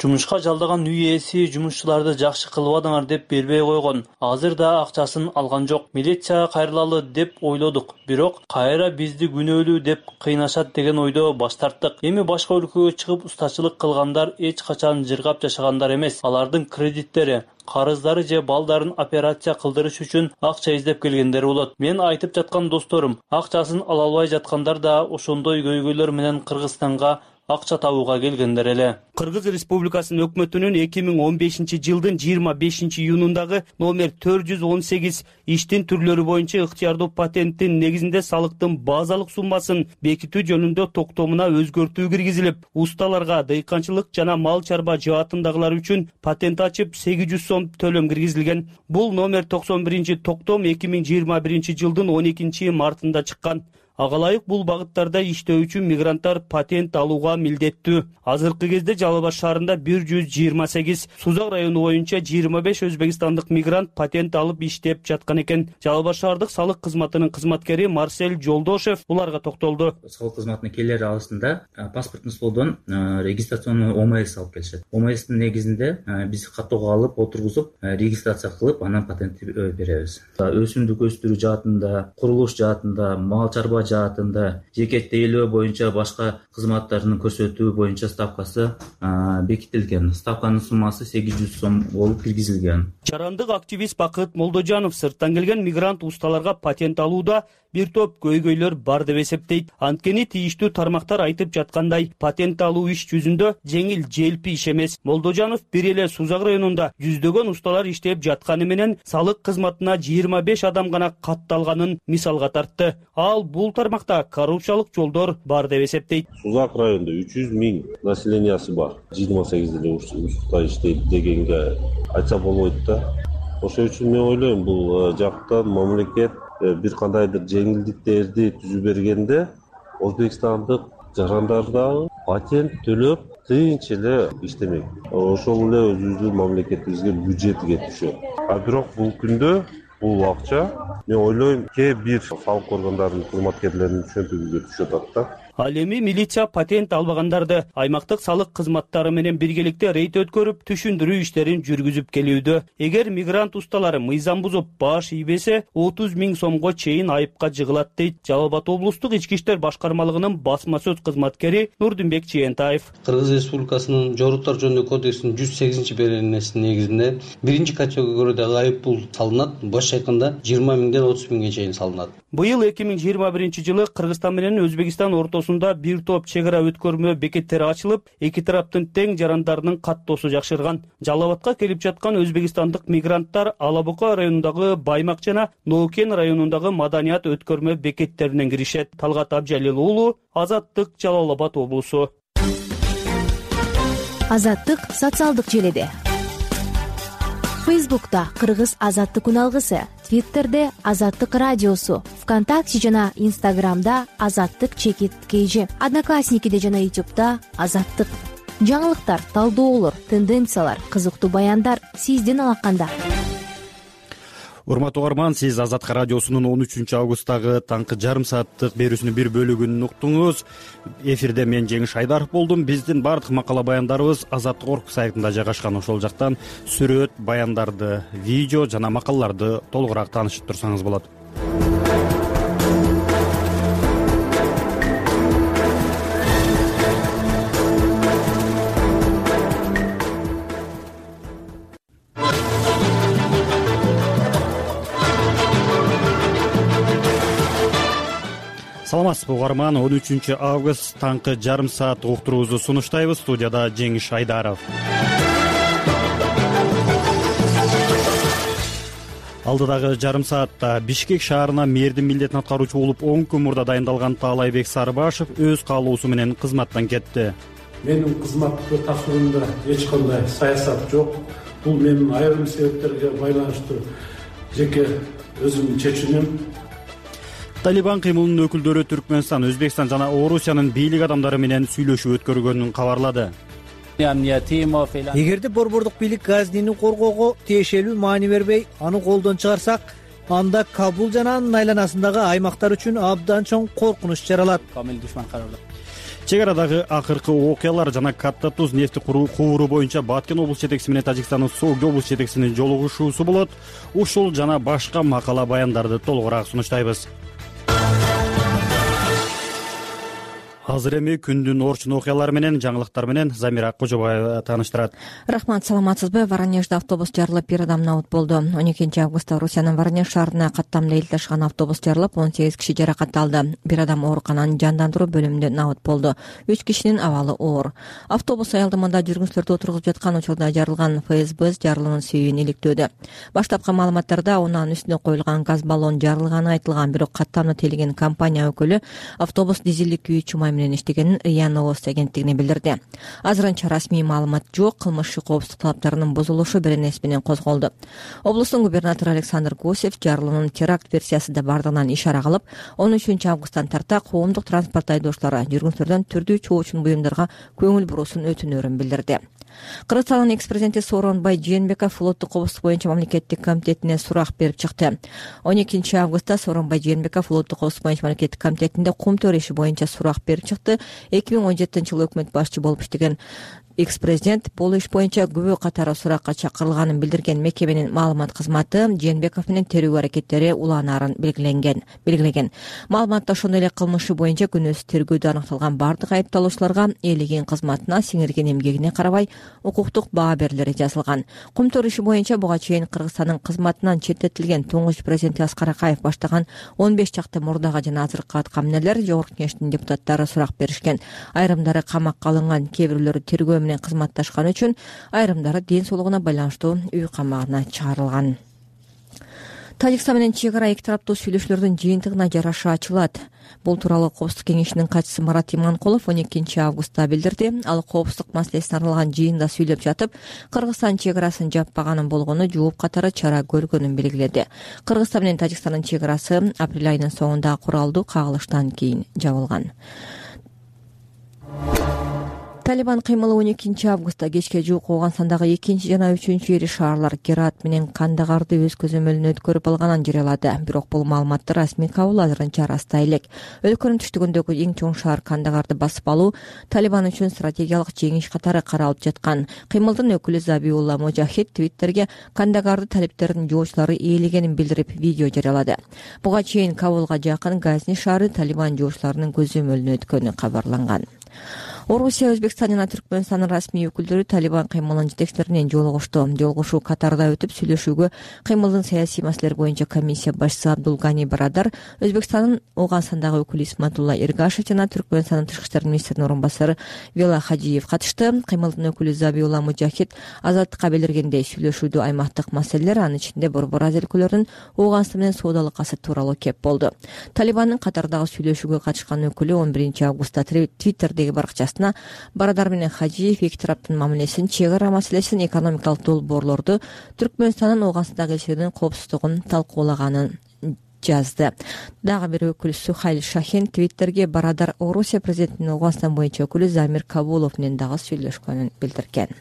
Жумушка жалдаган үй ээси жумушчуларды жакшы кылбадыңар деп бербей койгон. Азыр да акчасын алган жок. Милицияга кайрылалы деп ойлодук. Бирок кайра бизди күнөөлүү деп кыйнашат деген ойдо баш тарттык. Эми башка өлкөгө чыгып устачылык кылгандар эч качан жыргап жашагандар эмес. Алардын кредиттери, карыздары же балдарын операция кылдырыш үчүн акча издеп келгендер болот. Мен айтып жаткан досторум, акчасын ала албай жаткандар да ошондой көйгөйлөр менен Кыргызстанга акча табууга келгендер эле. Кыргыз Республикасынын өкмөтүнүн 2015-жылдын 25-июнундагы номер 418 иштин түрлөрү боюнча ыктыярдуу патенттин негизинде салыктын базалык суммасын бекитүү жөнүндө токтомуна өзгөртүү киргизилип, усталарга дыйканчылык жана мал чарба жаатындагылар үчүн патент ачып 800 сом төлөм киргизилген. Бул номер 91-токтом 2021-жылдын 12-мартында чыккан. Ага ылайык бул багыттарда иштөө үчүн мигранттар патент алууга милдеттүү. Азыркы кезде Жалал Абад шаарында 128, Сузак району боюнча 25 өзбекстандык мигрант патент алып иштеп жаткан экен. Жалал Абад шаардык салык кызматынын кызматкери Марсель Жолдошев буларга токтолду. Салык кызматына келер алышында паспорттун столдон регистрационный ОМС алып келишет. ОМСтин негизинде биз каттоого алып отургузуп, регистрация кылып, анан патентти беребиз. Өсүмдүк өстүрүү жаатында, курулуш жаатында, мал чарба жаатында, жеке тейлөө боюнча башка кызматтарын көрсөтүү боюнча ставкасы бекитилген. Ставканын суммасы 800 сом болуп киргизилген. Жарандык активист Бакыт Молдожанов сырттан келген мигрант усталарга патент алууда бир топ көйгөйлөр бар деп эсептейт. Анткени тийиштүү тармактар айтып жаткандай, патент алуу иш жүзүндө жеңил желпи иш эмес. Молдожанов бир эле Сузак районунда жүздөгөн усталар иштеп жатканы менен салык кызматына 25 адам гана катталганын мисалга тартты. Ал бул тармакта коррупциялык жолдор бар деп эсептейт. Сузак районунда 300 000 населениясы бар. 28 эле уста иштейт дегенге айтса болбойт да. Ошол үчүн мен ойлойм, бул жактан мамлекет бир кандайдыр жеңилдиктерди түзүп бергенде Өзбекстандык жарандар дагы патент төлөп тынч эле иштемек. Ошол эле өзүбүздүн мамлекетибизге бюджетиге түшөт. Бирок бул күндө бул акча мен ойлойм кээ бир салык органдарынын кызматкерлеринин чөнтөгүгө түшүп атат да. Ал эми милиция патент албагандарды аймактык салык кызматтары менен биргеликте рейд өткөрүп, түшүндүрүү иштерин жүргүзүп келүүдө. Эгер мигрант усталары мыйзам бузуп баш ийбесе, 30 000 сомго чейин айыпка жыгылат дейт Жалал Абад облустук ички иштер башкармалыгынын басма сөз кызматкери Нурдинбек Чиентаев. Кыргыз Республикасынын жоруктар жөнүндөгү кодексинин 108-беренесинин негизинде биринчи категорияда айып пул салынат, башкача айтканда 20 000ден 30 000ге чейин салынат. Быйыл 2021-жылы Кыргызстан менен Өзбекстан ортосунда бир топ чек ара өткөрмө бекеттери ачылып, эки тараптын тең жарандарынын каттоосу жакшырган. Жалал Абадка келип жаткан өзбекстандык мигранттар Ала Бука районундагы Баймак жана Ноукен районундагы Маданият өткөрмө бекеттеринен киришет. Талгат Абжалил уулу, Азаттык, Жалал Абад облусу. Азаттык социалдык желеде. Фейсбукта Кыргыз Азаттык күн алгысы, Твиттерде Азаттык радиосу, ВКонтакте жана Инстаграмда Азаттык _KG, Одноклассникиде жана Ютубта Азаттык. Жаңылыктар, талдоолор, тенденциялар, кызыктуу баяндар сиздин алаканда. Урматтуу угарман, сиз Азаттык радиосунун 13-августтагы таңкы жарым сааттык берүүсүнүн бир бөлүгүн уктуңуз. Эфирде мен Жеңиш Айдаров болдум. Биздин бардык макала баяндарыбыз Азаттык орг сайтында жайгашкан. Ошол жактан сүрөт, баяндарды, видео жана макалаларды толугураак таанышып турсаңыз болот. саламатсызбы угарман, 13 август таңкы жарым саат уктуруубузду сунуштайбыз. Студияда Жеңиш Айдаров. Алдыдагы жарым саатта Бишкек шаарына мэрдин милдетин аткаруучу болуп 10 күн мурда дайындалган Таалайбек Сарыбашев өз каалоосу менен кызматтан кетти. Менин кызматты тапшыруумда эч кандай саясат жок. Бул менин айрым себептерге байланыштуу жеке өзүмдүн чечимим. Талибан кыймылынын өкүлдөрү Түркмөнстан, Өзбекстан жана Орусиянын бийлик адамдары менен сүйлөшүү өткөргөнүн кабарлады. Эгерде борбордук бийлик Газнини коргоого тиешелүү маани бербей, аны колдон чыгарсак, анда Кабул жана анын айланасындагы аймактар үчүн абдан чоң коркунуч жаралат. Чек арадагы акыркы окуялар жана Катта Туз нефти кубуру боюнча Баткен облус жетекчиси менен Тажикстандын Сооги облус жетекчисинин жолугушуусу болот. Ушул жана башка макала баяндарды толугураак сунуштайбыз. Азыр эми күндүн орчун окуялары менен жаңылыктар менен Замира Кожобаева тааныштырат. Рахмат, саламатсызбы? Воронежде автобус жарылып, бир адам набыт болду. 12 августта Орусиянын Воронеж шаарына каттамда эл ташыган автобус жарылып, 18 киши жаракат алды. Бир адам оорукананын жандандыруу бөлүмүндө набыт болду. 3 кишинин абалы оор. Автобус аялдамада жүргүнчүлөрдү отургузуп жаткан учурда жарылган. ФСБ жарылуунун себебин иликтөөдө. Баштапкы маалыматтарда унаанын үстүнө коюлган газ баллон жарылганы айтылган, бирок каттамда тейлеген компания өкүлү автобус дизелдик күйүүчү май менен иштегенин РИА Новости агенттигине билдирди. Азырынча расмий маалымат жок. Кылмыш коопсуздук талаптарынын бузулушу беренеси менен козголду. Облустун губернатору Александр Гусев жарылуунун теракт версиясында бардыгынан ишара кылып, 13 августтан тарта коомдук транспорт айдоочулары жүргүнчүлөрдөн түрдүү чоочун буюмдарга көңүл буруусун өтүнөрүн билдирди. Кыргызстандын экс-президенти Сооронбай Жээнбеков флоттук коопсуздук боюнча мамлекеттик комитетине сурак берип чыкты. 12 августта Сооронбай Жээнбеков флоттук коопсуздук боюнча мамлекеттик комитетинде кум төр иши боюнча сурак берип чыкты. 2017-жылы өкмөт башчы болуп иштеген экс-президент бул иш боюнча күбө катары суракка чакырылганын билдирген мекеменин маалымат кызматы Жээнбеков менен терүү аракеттери уланаарын белгилеген. Маалыматта ошондой эле кылмышы боюнча күнөөсү тергөөдө аныкталган бардык айыпталуучуларга ээлеген кызматына, сиңирген эмгегине карабай укуктук баа берилери жазылган. Кумтөр иши боюнча буга чейин Кыргызстандын кызматынан четтетилген туңгуч президенти Аскар Акаев баштаган 15 чакты мурдагы жана азыркы аткаминерлер Жогорку Кеңештин депутаттары сурак беришкен. Айрымдары камакка алынган, кээ бирөөлөрү тергөө менен кызматташканы үчүн, айрымдары ден соолугуна байланыштуу үй камагына чыгарылган. Тажикстан менен чек ара эки тараптуу сүйлөшүүлөрдүн жыйынтыгына жараша ачылат. Бул тууралуу Коопсуздук кеңешинин катчысы Марат Иманкулов 12 августта билдирди. Ал коопсуздук маселесине арналган жыйында сүйлөп жатып, Кыргызстан чек арасын жаппаганын болгону жооп катары чара көргөнүн белгиледи. Кыргызстан менен Тажикстандын чек арасы апрель айынын соңунда куралдуу кагылыштан кийин жабылган. Талибан кыймылы 12 августта кечке жуук Ооганстандагы 2 жана 3 ири шаарлар Герат менен Кандагарды өз көзөмөлүнө өткөрүп алганын жарыялады. Бирок бул маалыматты расмий Кабул азырынча ырастай элек. Өлкөнүн түштүгүндөгү эң чоң шаар Кандагарды басып алуу Талибан үчүн стратегиялык жеңиш катары каралып жаткан. Кыймылдын өкүлү Забиулла Мужахид Твиттерге Кандагарды талиптердин жоочулары ээлегенин билдирип видео жарыялады. Буга чейин Кабулга жакын Газни шаары Талибан жоочуларынын көзөмөлүнө өткөнү кабарланган. Орусия, Өзбекстан жана Түркмөнстандын расмий өкүлдөрү Талибан кыймылынын жетекчилери менен жолугушту. Жолугушуу Катарда өтүп, сүйлөшүүгө кыймылдын саясий маселелер боюнча комиссия башчысы Абдулгани Барадар, Өзбекстандын Ооганстандагы өкүлү Исматулла Эргашев жана Түркмөнстандын тышкы иштер министринин орун басары Вела Хажиев катышты. Кыймылдын өкүлү Забиулла Мужахид азаттыкка билдиргендей, сүйлөшүүдө аймактык маселелер, анын ичинде Борбор Азия өлкөлөрүнүн Ооганстан менен соодалык касы тууралуу кеп болду. Талибандын Катардагы сүйлөшүүгө катышкан өкүлү 11 августта Твиттердеги баракчасына Барадар менен Хажиев эки тараптын мамилесин, чек ара маселесин, экономикалык долбоорлорду, Түркмөнстандын Ооганстандагы элчилигинин коопсуздугун талкуулаганын жазды. Дагы бир өкүл Сухайль Шахин Твиттерге Барадар Орусия президентинин Ооганстан боюнча өкүлү Замир Кабулов менен дагы сүйлөшкөнүн билдирген.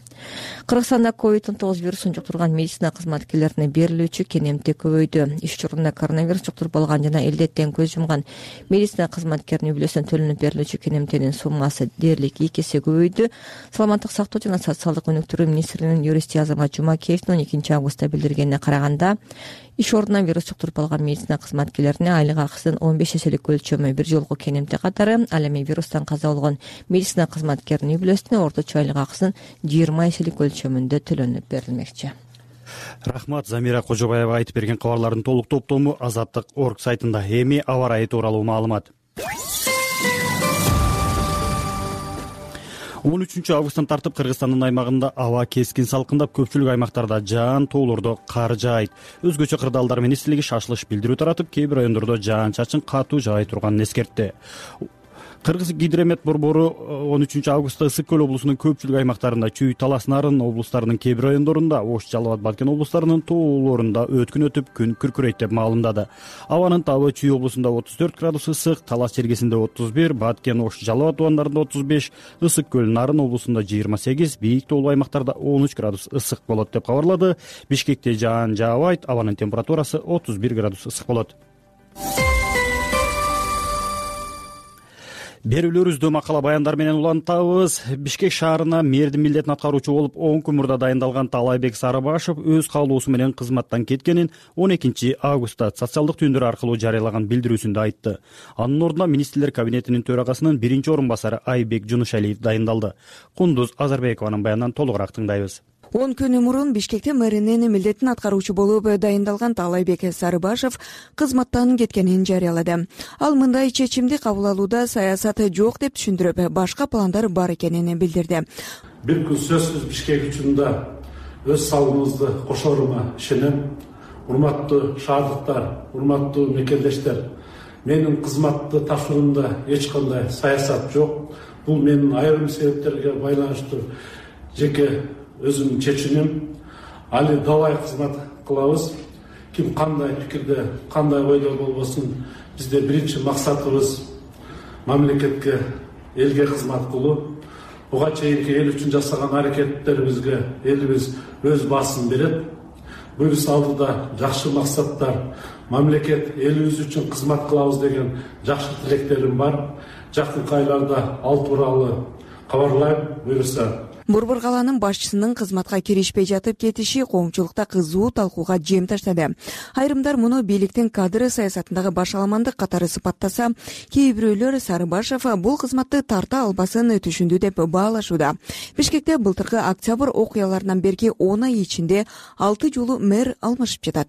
Кыргызстанда COVID-19 вирусун жуктурган медицина кызматкерлерине берилүүчү кенемтик көбөйдү. Иш чорунда коронавирус жуктуруп алган жана элдеттен көз жумган медицина кызматкеринин үй бүлөсүнө төлөнүп берилүүчү кенемтенин суммасы дээрлик 2 эсе көбөйдү. Саламаттык сактоо жана социалдык өнүктүрүү министринин юристи Азамат Жумакеевдин 12 августта билдиргенине караганда, иш ордунан вирус жуктуруп алган медицина кызматкерлерине айлык акысынын 15 эселик өлчөмү бир жолку кенемти катары, ал эми вирустан каза болгон медицина кызматкеринин үй бүлөсүнө орточо айлык акысынын 20 эселик өлчөмүндө төлөнүп берилмекчи. Рахмат, Замира Кожобаева айтып берген кабарлардын толук топтому Азаттык.org сайтында. Эми аба ырайы тууралуу маалымат. Августтан тартып Кыргызстандын аймагында аба кескин салкындап, көпчүлүк аймактарда жаан, тоолордо кар жаайт. Өзгөчө Кырдаалдар министрлиги шашылыш билдирүү таратып, кээ бир райондордо жаан-чачын катуу жаай турганын эскертти. Кыргыз гидромет борбору 13 августта Ысык көл облусунун көпчүлүк аймактарында, Чүй, Талас, Нарын облустарынын кээ бир райондорунда, Ош, Жалал Абад, Балкен облустарынын тоолорунда өткүн өтүп, күн күркүрөйт деп маалымдады. Абанын табы Чүй облусунда 34 градус ысык, Талас чергесинде 31, Баткен, Ош, Жалал Абад тубандарында 35, Ысык көл, Нарын облусунда 28, бийик тоолуу аймактарда 13 градус ысык болот деп кабарлады. Бишкекте жаан жаабайт, абанын температурасы 31 градус ысык болот. Берүүлөрүбүздү макала баяндар менен улантабыз. Бишкек шаарына мэрдин милдетин аткаруучу болуп 10 күн мурда дайындалган Таалайбек Сарыбашев өз каалоосу менен кызматтан кеткенин 12 августта социалдык түйүндөр аркылуу жарыялаган билдирүүсүндө айтты. Анын ордуна министрлер кабинетинин төрагасынын биринчи орун басары Айбек Жунушалиев дайындалды. Кундуз Азарбекованын баянынан толугураак тыңдайбыз. 10 күн мурун Бишкекте мэринин милдетин аткаруучу болуп дайындалган Таалайбек Сарыбашев кызматтан кеткенин жарыялады. Ал мындай чечимди кабыл алууда саясат жок деп түшүндүрүп, башка пландар бар экенин билдирди. Бир күн сөзсүз Бишкек үчүн да өз салымыбызды кошорума ишенем. Урматтуу шаардыктар, урматтуу мекендештер, менин кызматты тапшыруумда эч кандай саясат жок. Бул менин айрым себептерге байланыштуу жеке өзүмдүн чечимим. Али давай кызмат кылабыз. Ким кандай пикирде, кандай ойдо болбосун, бизде биринчи максатыбыз мамлекетке, элге кызмат кылуу. Буга чейинки эл үчүн жасаган аракеттерибизге элибиз өз баасын берет. Буюрса алдыда жакшы максаттар, мамлекет элибиз үчүн кызмат кылабыз деген жакшы тилектерим бар. Жакынкы айларда ал тууралуу кабарлайм. Буюрса Борбор калаанын башчысынын кызматка киришпей жатып кетиши коомчулукта кызуу талкууга жем таштады. Айрымдар муну бийликтин кадр саясатындагы башаламандык катары сыпаттаса, кээ бирөөлөр Сарыбашев бул кызматты тарта албасын түшүндү деп баалашууда. Бишкекте былтыркы октябрь окуяларынан берки 10 ай ичинде 6 жолу мэр алмашып жатат.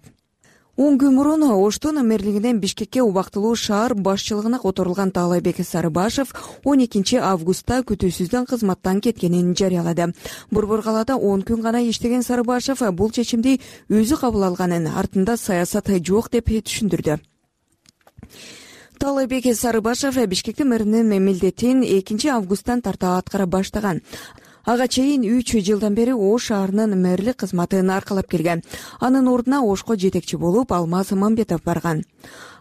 10 күн мурун Оштун мэрлигинен Бишкекке убактылуу шаар башчылыгына которулган Таалайбек Сарыбашев 12 августта күтүүсүздөн кызматтан кеткенин жарыялады. Борбор калаада 10 күн гана иштеген Сарыбашев бул чечимди өзү кабыл алганын, артында саясат жок деп түшүндүрдү. Таалайбек Сарыбашев Бишкектин мэринин милдетин 2 августтан тарта аткара баштаган. Ага чейин 3 жылдан бери Ош шаарынын мэрлик кызматын аркалап келген. Анын ордуна Ошко жетекчи болуп Алмаз Мамбетов барган.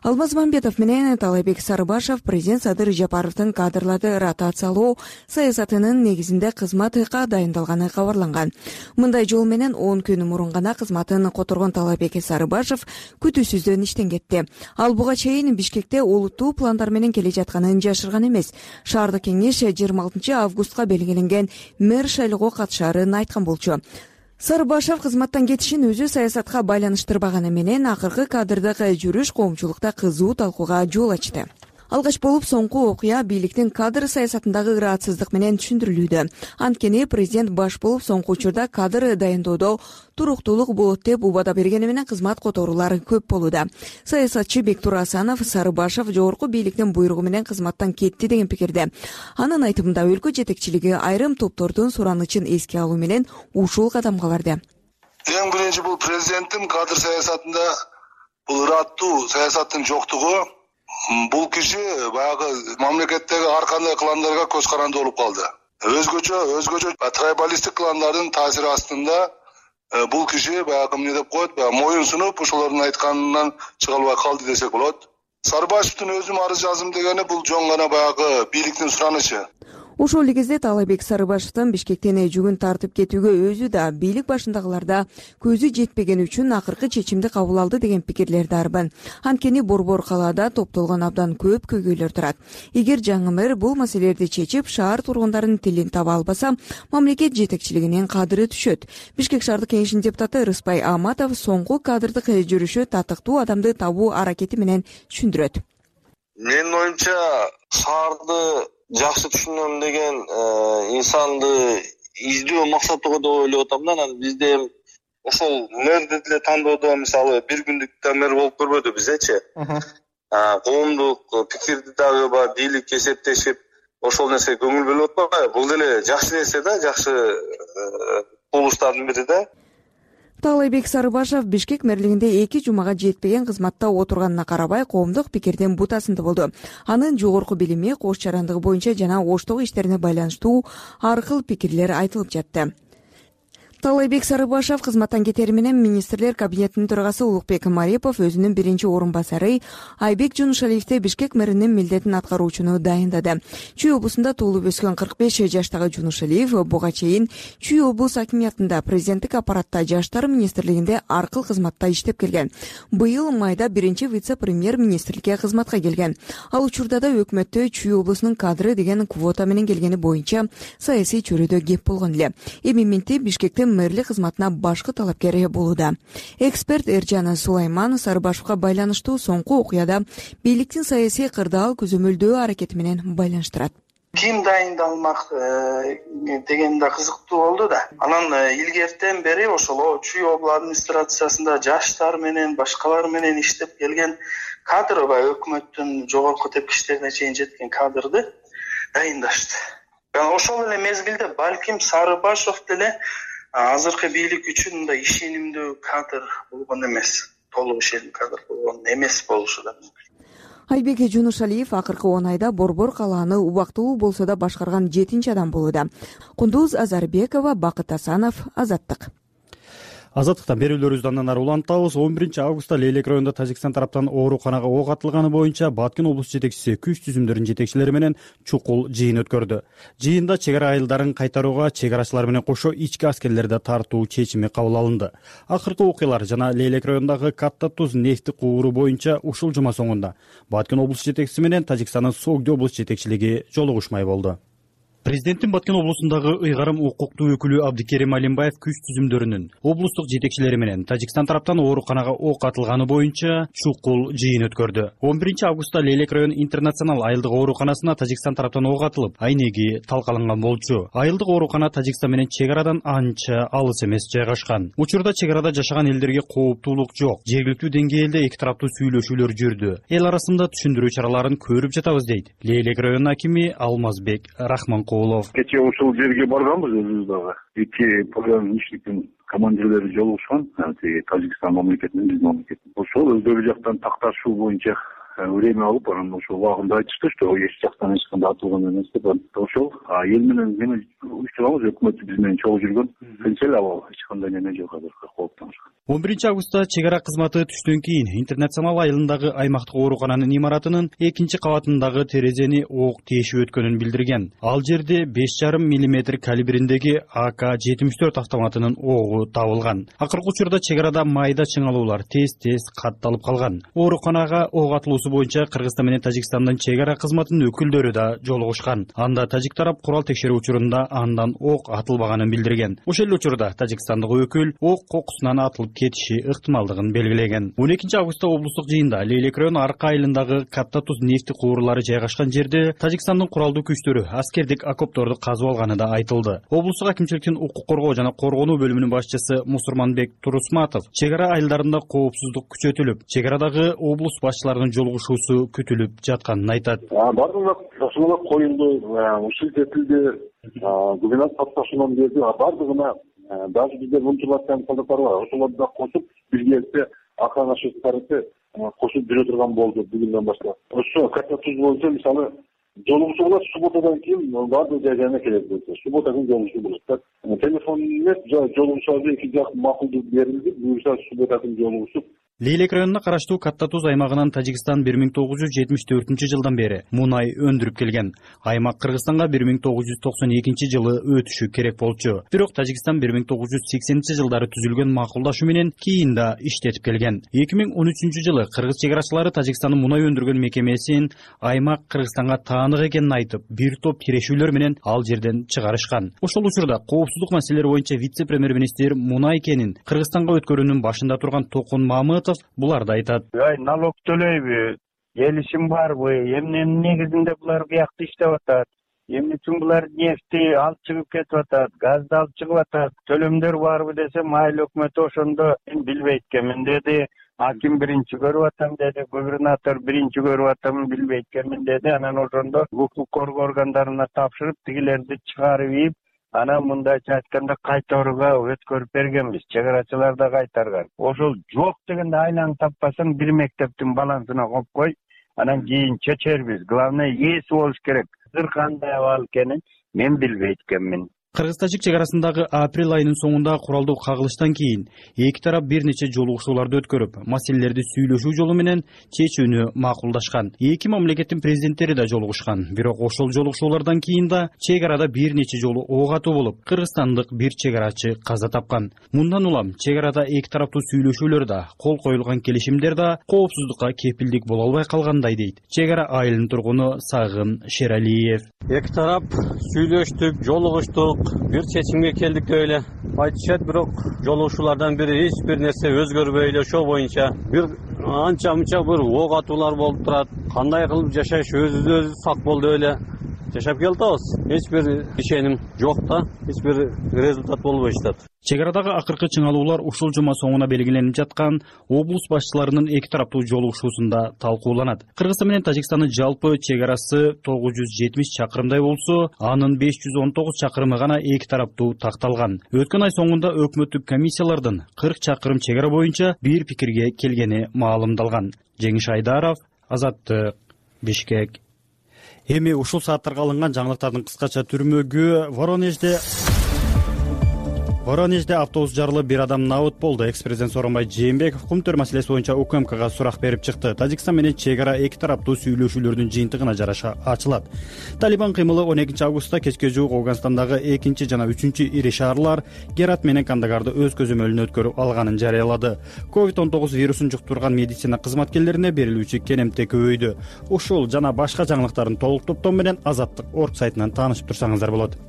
Алмаз Мамбетов менен Таалайбек Сарыбашев президент Садыр Жапаровдун кадрларды ротациялоо саясатынын негизинде кызматка дайындалганы кабарланган. Мындай жол менен 10 күн мурун гана кызматын которгон Таалайбек Сарыбашев күтүүсүздөн иштен кетти. Ал буга чейин Бишкекте олуттуу пландар менен келе жатканын жашырган эмес. Шаардык кеңеш 26 августка белгиленген мэр шайлоого катышаарын айткан болчу. Сарыбашев кызматтан кетишин өзү саясатка байланыштырбаганы менен акыркы кадрдык жүрүш коомчулукта кызуу талкууга жол ачты. Алгач болуп соңку окуя бийликтин кадр саясатындагы ыраатсыздык менен түшүндүрүлүүдө. Анткени президент баш болуп соңку учурда кадр дайындоодо туруктуулук болот деп убада бергени менен кызмат которуулар көп болууда. Саясатчы Бектур Асанов Сарыбашев жогорку бийликтин буйругу менен кызматтан кетти деген пикирде. Анын айтымында өлкө жетекчилиги айрым топтордун суранычын эске алуу менен ушул кадамга барды. Эң биринчи бул президенттин кадр саясатында бул ыраттуу саясаттын жоктугу. Бул киши баягы мамлекеттеги ар кандай кландарга көз каранды болуп калды. Өзгөчө трайбалисттик кландардын таасири астында бул киши баягы эмне деп коет, моюн сунуп ошолордун айтканынан чыга албай калды десек болот. Сарыбашевдин өзүм арыз жазым дегени бул жөн гана баягы бийликтин суранычы. Ошол кезде Таалайбек Сарыбашевдин Бишкектен жүгүн тартып кетүүгө өзү да бийлик башындагыларда көзү жетпеген үчүн акыркы чечимди кабыл алды деген пикирлерди арбын. Анткени борбор калаада топтолгон абдан көп көйгөйлөр турат. Эгер жаңы мэр бул маселелерди чечип, шаар тургундарынын тилин таба албаса, мамлекет жетекчилигинин кадыры түшөт. Бишкек шаардык кеңешинин депутаты Рыспай Аматов соңку кадрдык жүрүшү татыктуу адамды табуу аракети менен түшүндүрөт. Менин оюмча, шаарды жакшы түшүнөм деген инсанды издөө максаттуу деп ойлоп атам да. Анан бизде ошол мэрди деле тандоодо мисалы бир күндүк да мэр болуп көрбөдү бизечи. коомдук пикирди дагы баягы бийлик эсептешип ошол нерсеге көңүл бөлүп атпайбы? Бул деле жакшы нерсе да, жакшы кубулуштардын бири да. Таалайбек Сарыбашев Бишкек мэрлигинде 2 жумага жетпеген кызматта отурганына карабай коомдук пикирдин бутасында болду. Анын жогорку билими, кош жарандыгы боюнча жана оштогу иштерине байланыштуу ар кыл пикирлер айтылып жатты. Таалайбек Сарыбашев кызматтан кетери менен министрлер кабинетинин төрагасы Улукбек Марипов өзүнүн биринчи орун басары Айбек Жунушалиевди Бишкек мэринин милдетин аткаруучуну дайындады. Чүй облусунда туулуп өскөн 45 жаштагы Жунушалиев буга чейин Чүй облус акимиятында президенттик аппаратта жаштар министрлигинде ар кыл кызматта иштеп келген. Быйыл майда биринчи вице-премьер министрликке кызматка келген. Ал учурда да өкмөттө Чүй облусунун кадры деген квота менен келгени боюнча саясий чөйрөдө кеп болгон эле. Эми менти Бишкекте мэрлик кызматына башкы талапкер болууда. Эксперт Эржан Сулайман Сарыбашевга байланыштуу соңку окуяда бийликтин саясий кырдаал көзөмөлдөө аракети менен байланыштырат. Ким дайындалмак деген да кызыктуу болду да. Анан илгертен бери ошол Чүй облус администрациясында жаштар менен башкалар менен иштеп келген кадр өкмөттүн жогорку тепкичтерине чейин жеткен кадрды дайындашты. Ошол эле мезгилде балким Сарыбашев деле азыркы бийлик үчүн мындай ишенимдүү кадр болгон эмес, толук ишенимдүү кадр болгон эмес болушу да мүмкүн. Айбек Жунушалиев акыркы 10 айда Борбор калааны убактылуу болсо да башкарган 7-нчи адам болууда. Кундуз Азарбекова, Бакыт Асанов, Азаттык. Азаттыктан берүүлөрүбүздү андан ары улантабыз. 11-августта Лейлек районунда Тажикстан тараптан ооруканага ок атылганы боюнча Баткен облус жетекчиси күч түзүмдөрүнүн жетекчилери менен чукул жыйын өткөрдү. Жыйында чек ара айылдарын кайтарууга чек арачылар менен кошо ички аскерлерди тартуу чечими кабыл алынды. Акыркы окуялар жана Лейлек районундагы Катта Туз нефти кууру боюнча ушул жума соңунда Баткен облус жетекчиси менен Тажикстандын Согди облус жетекчилиги жолугушмай болду. Президенттин Баткен облусундагы ыйгарым укуктуу өкүлү Абдикерим Алимбаев күч түзүмдөрүнүн облустук жетекчилери менен Тажикстан тараптан ооруканага ок атылганы боюнча чукул жыйын өткөрдү. 11-августта Лейлек район интернационал айылдык ооруканасына Тажикстан тараптан ок атылып, айнеги талкаланган болчу. Айылдык оорукана Тажикстан менен чек арадан анча алыс эмес жайгашкан. Учурда чек арада жашаган элдерге кооптуулук жок. Жергиликтүү деңгээлде эки тараптуу сүйлөшүүлөр жүрдү. Эл арасында түшүндүрүү чараларын көрүп жатабыз дейт Лейлек районунун акими Алмазбек Рахман. Кечээ ушул жерге барганбыз өзүбүз дагы. Эки пограничниктин командирлери жолугушкан, Тажикстан мамлекетинин, биздин мамлекеттин. Ошол өздөрү жактан такташуу боюнча время алып, анан ошол убагында айтышты, что эч жактан эч кандай атылган эмес деп. Ошол эл менен эме учурабыз, өкмөт биз менен чогуу жүргөн. Тынч эле абал, эч кандай неме жок азыркы кооптонушка. 11-августта чек ара кызматы түштөн кийин интернационал айылындагы аймактык оорукананын имаратынын 2-кабатындагы терезени ок тешип өткөнүн билдирген. Ал жерде 5,5 мм калибриндеги АК-74 автоматынын огу табылган. Акыркы учурда чек арада майда чыңалуулар тез катталып калган. Ооруканага ок атылуусу боюнча Кыргызстан менен Тажикстандын чек ара кызматынын өкүлдөрү да жолугушкан. Анда тажик тарап курал текшерүү учурунда андан ок атылбаганын билдирген. Ошол эле учурда Тажикстандык өкүл ок кокусунан атылып кетиши ыктымалдыгын белгилеген. 12-августта облустук жыйында Лейлек району арка айылындагы Катта Туз нефти куурлары жайгашкан жерде Тажикстандын куралдуу күчтөрү аскердик окопторду казып алганы да айтылды. Облустук акимчиликтин укук коргоо жана коргонуу бөлүмүнүн башчысы Мусурманбек Турусматов чек ара айылдарында коопсуздук күчөтүлүп, чек арадагы облус башчыларынын жолугушуусу күтүлүп жатканын айтат. Бардыгына ташуулар коюлду, ушул тетилди, губернатор тапшырманы берди, бардыгына даже биздер мунчулаттан солдаттар бар, ошолорду да кошуп, биргеликте охрана шестерти кошуп жүрө турган болду бүгүндөн баштап. Ошо Катта Туз боюнча мисалы жолугушуу болот, субботадан кийин баардык жайына келет болсо, суббота күнү жолугушуу болот. Телефон эмес, жолугушуу эки жак макулдук берилди, буюрса суббота күнү жолугушуп. Лейлек районуна караштуу Катта Туз аймагынан Тажикстан 1974 жылдан бери мунай өндүрүп келген. Аймак Кыргызстанга 1992 жылы өтүшү керек болчу. Бирок Тажикстан 1980 жылдары түзүлгөн макулдашуу менен кийин да иштетип келген. 2013 жылы кыргыз чек арачылары Тажикстандын мунай өндүргөн мекемесин аймак Кыргызстанга таандык экенин айтып, бир топ тирешүүлөр менен ал жерден чыгарышкан. Ошол учурда коопсуздук маселелери боюнча вице-премьер министр мунай кенин Кыргызстанга өткөрүүнүн башында турган Токун Мамытов буларды айтат. Налог төлөйбү, келишим барбы, эмненин негизинде булар биякта иштеп атат, эмне үчүн булар нефти алып чыгып кетип атат, газды алып чыгып атат, төлөмдөр барбы десе, майыл өкмөтү ошондо билбейт экенмин деди. аким биринчи көрүп атам деди, губернатор биринчи көрүп атам, билбей экенмин деди. Анан ошондо укук коргоо органдарына тапшырып, тигилерди чыгарып ийип, анан мындайча айтканда кайтарууга өткөрүп бергенбиз. Чек арачылар да кайтарган. Ошол жок дегенде айланып таппасаң бир мектептин балансына коюп кой, анан кийин чечербиз. Главное ээси болуш керек. Азыр кандай абал экенин мен билбейт экенмин. Кыргыз-тажик чек арасындагы апрель айынын соңунда куралдуу кагылыштан кийин эки тарап бир нече жолугушууларды өткөрүп, маселелерди сүйлөшүү жолу менен чечүүнү макулдашкан. Эки мамлекеттин президенттери да жолугушкан. Бирок ошол жолугушуулардан кийин да чек арада бир нече жолу ок атуу болуп, кыргызстандык бир чек арачы каза тапкан. Мындан улам чек арада эки тараптуу сүйлөшүүлөр да, кол коюлган келишимдер да коопсуздукка кепилдик боло албай калгандай дейт чек ара айылынын тургуну Сагын Шералиев. Эки тарап сүйлөштүк, жолугуштук, бир чечимге келдик деп эле айтышат, бирок жолугушуулардан бири эч бир нерсе өзгөрбөй эле ошол боюнча бир анча мынча бир ок атуулар болуп турат. Кандай кылып жашаш, өзүбүз сак бол деп эле жашап келатабыз. Эч бир ишеним жок да, эч бир результат болбой жатат. Чек арадагы акыркы чыңалуулар ушул жума соңуна белгиленип жаткан облус башчыларынын эки тараптуу жолугушуусунда талкууланат. Кыргызстан менен Тажикстандын жалпы чек арасы 970 чакырымдай болсо, анын 519 чакырымы гана эки тараптуу такталган. Өткөн ай соңунда өкмөттүк комиссиялардын 40 чакырым чек ара боюнча бир пикирге келгени маалымдалган. Жеңиш Айдаров, Азаттык, Бишкек. Эми ушул сааттарга алынган жаңылыктардын кыскача түрмөгү Воронежде автобус жарылып бир адам набыт болду. Экс-президент Сооронбай Жээнбеков кум-төр маселеси боюнча УКМКга сурак берип чыкты. Тажикстан менен чек ара эки тараптуу сүйлөшүүлөрдүн жыйынтыгына жараша ачылат. Талибан кыймылы 12 августта кечке жуук Афганистандагы 2 жана 3 ири шаарлар Герат менен Кандагарды өз көзөмөлүнө өткөрүп алганын жарыялады. COVID-19 вирусун жуктурган медицина кызматкерлерине берилүүчү кенемте көбөйдү. Ушул жана башка жаңылыктардын толук топтому менен Азаттык орг сайтынан таанышып турсаңыздар болот.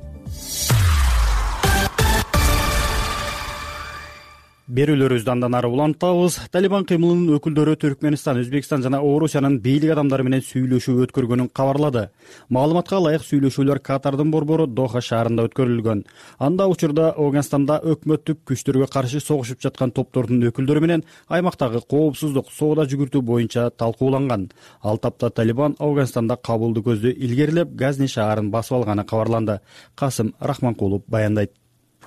Берүүлөрүбүздү андан ары улантабыз. Талибан кыймылынын өкүлдөрү Түркмөнстан, Өзбекстан жана Орусиянын бийлик адамдары менен сүйлөшүү өткөргөнүн кабарлады. Маалыматка ылайык сүйлөшүүлөр Катардын борбору Доха шаарында өткөрүлгөн. Анда учурда Афганистанда өкмөттүк күчтөргө каршы согушуп жаткан топтордун өкүлдөрү менен аймактагы коопсуздук, соода жүгүртүү боюнча талкууланган. Ал тапта Талибан Афганистанда Кабулду көздө илгерилеп, Газни шаарын басып алганы кабарланды. Касым Рахманкулов баяндайт.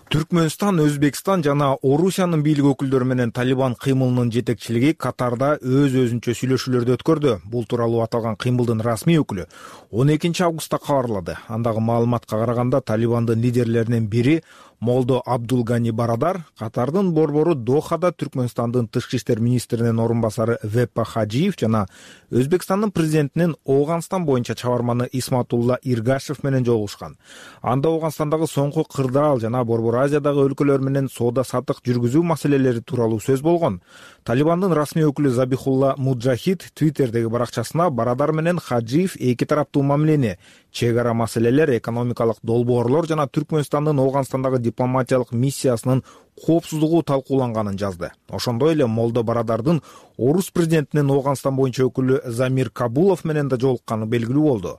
Түркмөнстан, Өзбекстан жана Орусиянын бийлик өкүлдөрү менен Талибан кыймылынын жетекчилиги Катарда өз-өзүнчө сүйлөшүүлөрдү өткөрдү. Бул тууралуу аталган кыймылдын расмий өкүлү 12 августта кабарлады. Андагы маалыматка караганда Талибандын лидерлеринин бири Молдо Абдулгани Барадар Катардын борбору Дохада Түркмөнстандын тышкы иштер министринин орун басары Веппа Хажиев жана Өзбекстандын президентинин Афганистан боюнча чабарманы Исматулла Иргашев менен жолугушкан. Анда Афганистандагы соңку кырдаал жана Борбор Азиядагы өлкөлөр менен соода саттык жүргүзүү маселелери тууралуу сөз болгон. Талибандын расмий өкүлү Забихулла Муджахид Твиттердеги баракчасына Барадар менен Хаджиев эки тараптуу мамилени, чек ара маселелер, экономикалык долбоорлор жана Түркмөнстандын Афганистандагы дипломатиялык миссиясынын коопсуздугу талкууланганын жазды. Ошондой эле Молдо Барадардын Орус президентинин Афганистан боюнча өкүлү Замир Кабулов менен да жолукканы белгилүү болду.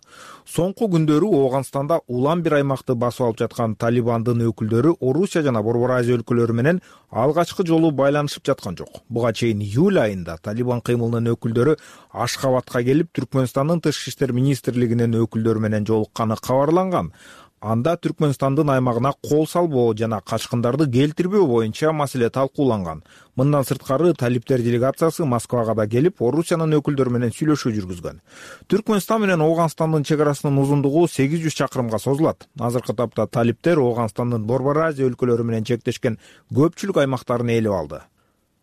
Соңку күндөрү Афганистанда улам бир аймакты басып алып жаткан Талибандын өкүлдөрү Орусия жана Борбор Азия өлкөлөрү менен алгачкы жолу байланышып жаткан жок. Буга чейин июль айында Талибан кыймылынын өкүлдөрү Ашхабадка келип, Түркмөнстандын тышкы иштер министрлигинин өкүлдөрү менен жолукканы кабарланган. Анда Түркмөнстандын аймагына кол салбоо жана качкындарды келтирбөө боюнча маселе талкууланган. Мындан сырткары талиптер делегациясы Москвага да келип, Орусиянын өкүлдөрү менен сүйлөшүү жүргүзгөн. Түркмөнстан менен Афганистандын чек арасынын узундугу 800 чакырымга созулат. Азыркы тапта талиптер Афганистандын Борбор Азия өлкөлөрү менен чектешкен көпчүлүк аймактарын ээлеп алды.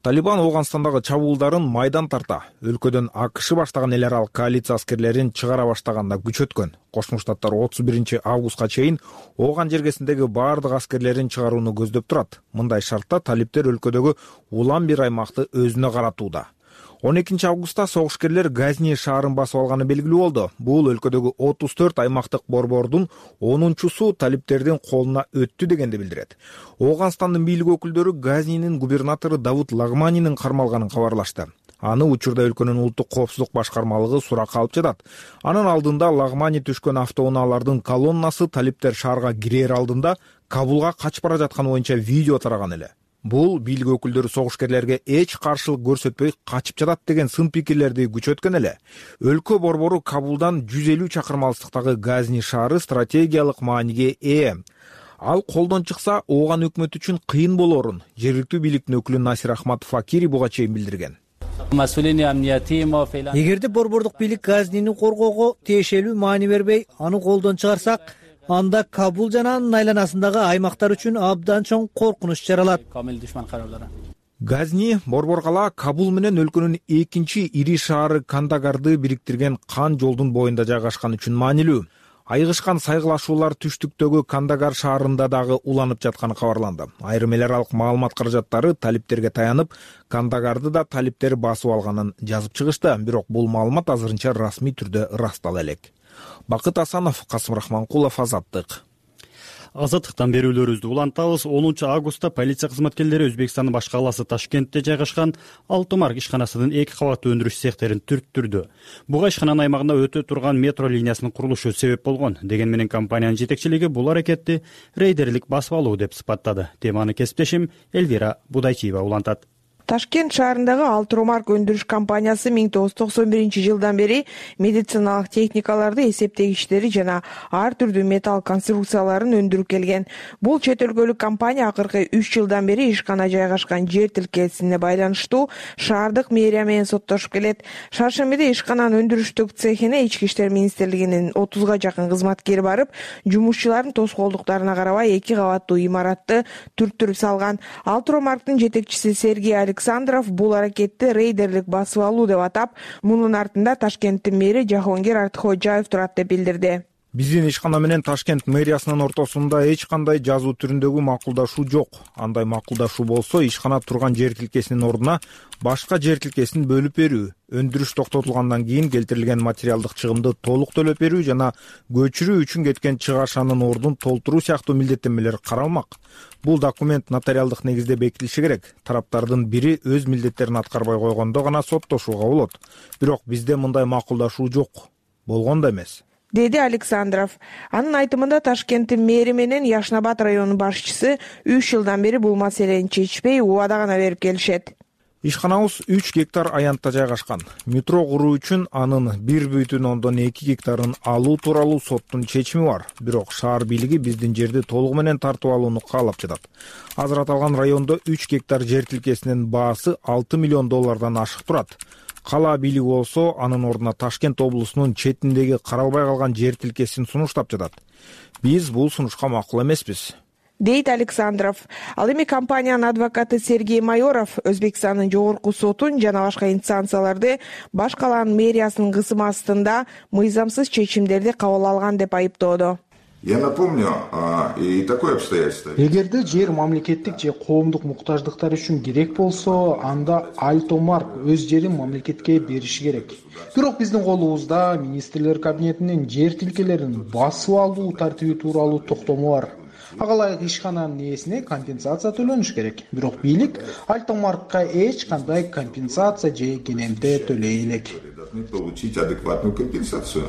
Талибан Афганистандагы чабуулдарын майдан тарта, өлкөдөн АКШ баштаган эл аралык коалиция аскерлерин чыгара баштаганда күчөткөн. Кошмо Штаттар 31 августка чейин Ооган жергесиндеги баардык аскерлерин чыгарууну көздөп турат. Мындай шартта талиптер өлкөдөгү улам бир аймакты өзүнө каратууда. 12 августта согушкерлер Газни шаарын басып алганы белгилүү болду. Бул өлкөдөгү 34 аймактык борбордун 10-су талиптердин колуна өттү дегенди билдирет. Афганистандын бийлик өкүлдөрү Газнинин губернатору Давуд Лагманинин кармалганын кабарлашты. Аны учурда өлкөнүн улуттук коопсуздук башкармалыгы суракка алып жатат. Анын алдында Лагмани түшкөн автоунаалардын колоннасы талиптер шаарга кирер алдында Кабулга качып бара жатканы боюнча видео тараган эле. Бул бийлик өкүлдөрү согушкерлерге эч каршылык көрсөтпөй качып жатат деген сын пикирлерди күчөткөн эле. Өлкө борбору Кабулдан 150 чакырым алыстыктагы Газни шаары стратегиялык мааниге ээ. Ал колдон чыкса, ооган өкмөт үчүн кыйын болорун жергиликтүү бийликтин өкүлү Насир Ахматов Факири буга чейин билдирген. Эгерде борбордук бийлик Газнини коргоого тиешелүү маани бербей, аны колдон чыгарсак, анда Кабул жана анын айланасындагы аймактар үчүн абдан чоң коркунуч жаралат. Газни борбор кала Кабул менен өлкөнүн экинчи ири шаары Кандагарды бириктирген кан жолдун боюнда жайгашкан үчүн маанилүү. Айгышкан сайгылашуулар түштүктөгү Кандагар шаарында дагы уланып жатканы кабарланды. Айрым эл аралык маалымат каражаттары талиптерге таянып, Кандагарды да талиптер басып алганын жазып чыгышты, бирок бул маалымат азырынча расмий түрдө ырастала элек. Бакыт Асанов, Касым Рахманкулов, Азаттык. Азаттыктан берүүлөрүбүздү улантабыз. 10 августта полиция кызматкерлери Өзбекстандын баш калаасы Ташкентте жайгашкан Алтымарк ишканасынын 2 кабаттуу өндүрүш цехтерин түрттүрдү. Буга ишкананын аймагында өтө турган метро линиясынын курулушу себеп болгон. Деген менен компаниянын жетекчилиги бул аракетти рейдерлик басып алуу деп сыпаттады. Теманы кесиптешим Элвира Будайчиева улантат. Ташкент шаарындагы Алтымарк өндүрүш компаниясы 1991 бери медициналык техникаларды, эсептегичтери жана ар түрдүү металл конструкцияларын өндүрүп келген. Бул чет өлкөлүк компания акыркы 3 жылдан бери ишкана жайгашкан жер тилкеесине байланыштуу шаардык мэрия менен соттошуп келет. Шаршембиде ишкананын өндүрүштүк цехине Ички иштер министрлигинин 30га жакын кызматкери барып, жумушчулардын тоскоолдуктарына карабай 2 кабаттуу имаратты түрттүрүп салган. Алтымарктын жетекчиси Сергей Александров бул аракетти рейдерлик басып алуу деп атап, мунун артында Ташкенттин мэри Жахонгир Артхожаев турат деп билдирди. Биздин ишкана менен Ташкент мэриясынын ортосунда эч кандай жазуу түрүндөгү макулдашуу жок. Андай макулдашуу болсо, ишкана турган жер тилкесинин ордуна башка жер тилкесин бөлүп берүү, өндүрүш токтотулгандан кийин келтирилген материалдык чыгымды толук төлөп берүү жана көчүрүү үчүн кеткен чыгашанын ордун толтуруу сыяктуу милдеттенмелер каралмак. Бул документ нотариалдык негизде бекитилиши керек. Тараптардын бири өз милдеттерин аткарбай койгондо гана соттошууга болот. Бирок бизде мындай макулдашуу жок. Болгон да эмес, деди Александров. Анын айтымында Ташкенттин мэри менен Яшнабад районунун башчысы 3 жылдан бери бул маселени чечпей, убада гана берип келишет. Ишканабыз 3 гектар аянтта жайгашкан. Метро куруу үчүн анын 1,2 гектарын алуу тууралуу соттун чечими бар. Бирок шаар бийлиги биздин жерди толугу менен тартып алууну каалап жатат. Азыр аталган райондо 3 гектар жер тилкесинин баасы $6 миллион ашык турат. Кала бийлиги болсо анын ордуна Ташкент облусунун четиндеги каралбай калган жер тилкесин сунуштап жатат. Биз бул сунушка макул эмеспиз, дейт Александров. Ал эми компаниянын адвокаты Сергей Майоров Өзбекстандын жогорку сотун жана башка инстанцияларды баш каланын мэриясынын кысымы астында мыйзамсыз чечимдерди кабыл алган деп айыптоодо. Я напомню и такое обстоятельство. Эгерде жер мамлекеттик же коомдук муктаждыктар үчүн керек болсо, анда Алтымарк өз жерин мамлекетке бериши керек. Бирок биздин колубузда министрлер кабинетинин жер тилкелерин басып алуу тартиби тууралуу токтому бар. Ага ылайык ишкананын ээсине компенсация төлөнүш керек. Бирок бийлик Алтымаркка эч кандай компенсация же кенемте төлөй элек. Получить адекватную компенсацию.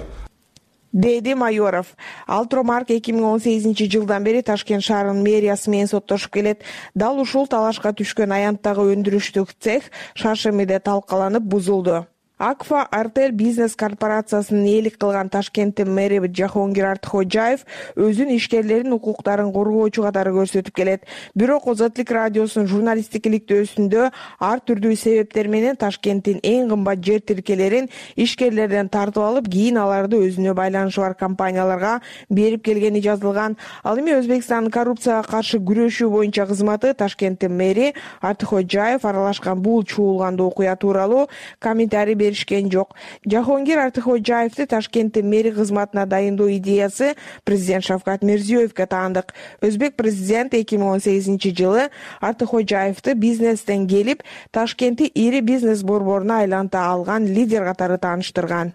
Деди Майоров. Алтымарк 2018 жылдан бери Ташкент шаарынын мэриясы менен соттошуп келет. Дал ушул талашка түшкөн аянттагы өндүрүштүк цех шаршембиде талкаланып бузулду. Акфа Артель бизнес корпорациясынын ээлик кылган Ташкенттин мэри Жахонгир Артхожаев өзүнүн ишкерлеринин укуктарын коргоочу катары көрсөтүп келет. Бирок Озаттык радиосунун журналисттик иликтөөсүндө ар түрдүү себептер менен Ташкенттин эң кымбат жер тилкелерин ишкерлерден тартып алып, кийин аларды өзүнө байланышы бар компанияларга берип келгени жазылган. Ал эми Өзбекстандын коррупцияга каршы күрөшүү боюнча кызматы Ташкенттин мэри Артхожаев аралашкан бул чуулгандуу окуя тууралуу комментарий беришкен жок. Жахонгир Артхожаевди Ташкенттин мэри кызматына дайындоо идеясы президент Шавкат Мирзиёевге таандык. Өзбек президент 2018 жылы Артхожаевди бизнестен келип, Ташкентти ири бизнес борборуна айланта алган лидер катары тааныштырган.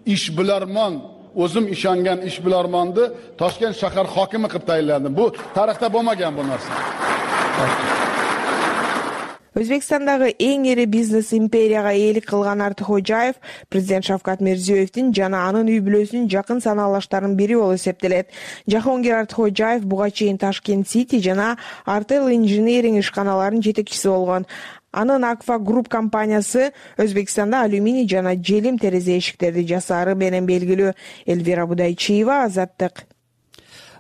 Ishbilarmon, o'zim ishongan ishbilarmonni Toshkent shahar hokimi qilib tayinladim. Bu tarixda bo'lmagan bu narsa. Өзбекстандагы эң ири бизнес империяга ээлик кылган Артыкхожаев президент Шавкат Мирзиёевдин жана анын үй бүлөсүнүн жакын санаалаштарынын бири болуп эсептелет. Жахонгир Артыкхожаев буга чейин Ташкент Сити жана Артел Инжиниринг ишканаларынын жетекчиси болгон. Анын Акфа Групп компаниясы Өзбекстанда алюминий жана желим терезе эшиктерди жасаары менен белгилүү. Элвира Будайчиева, Азаттык.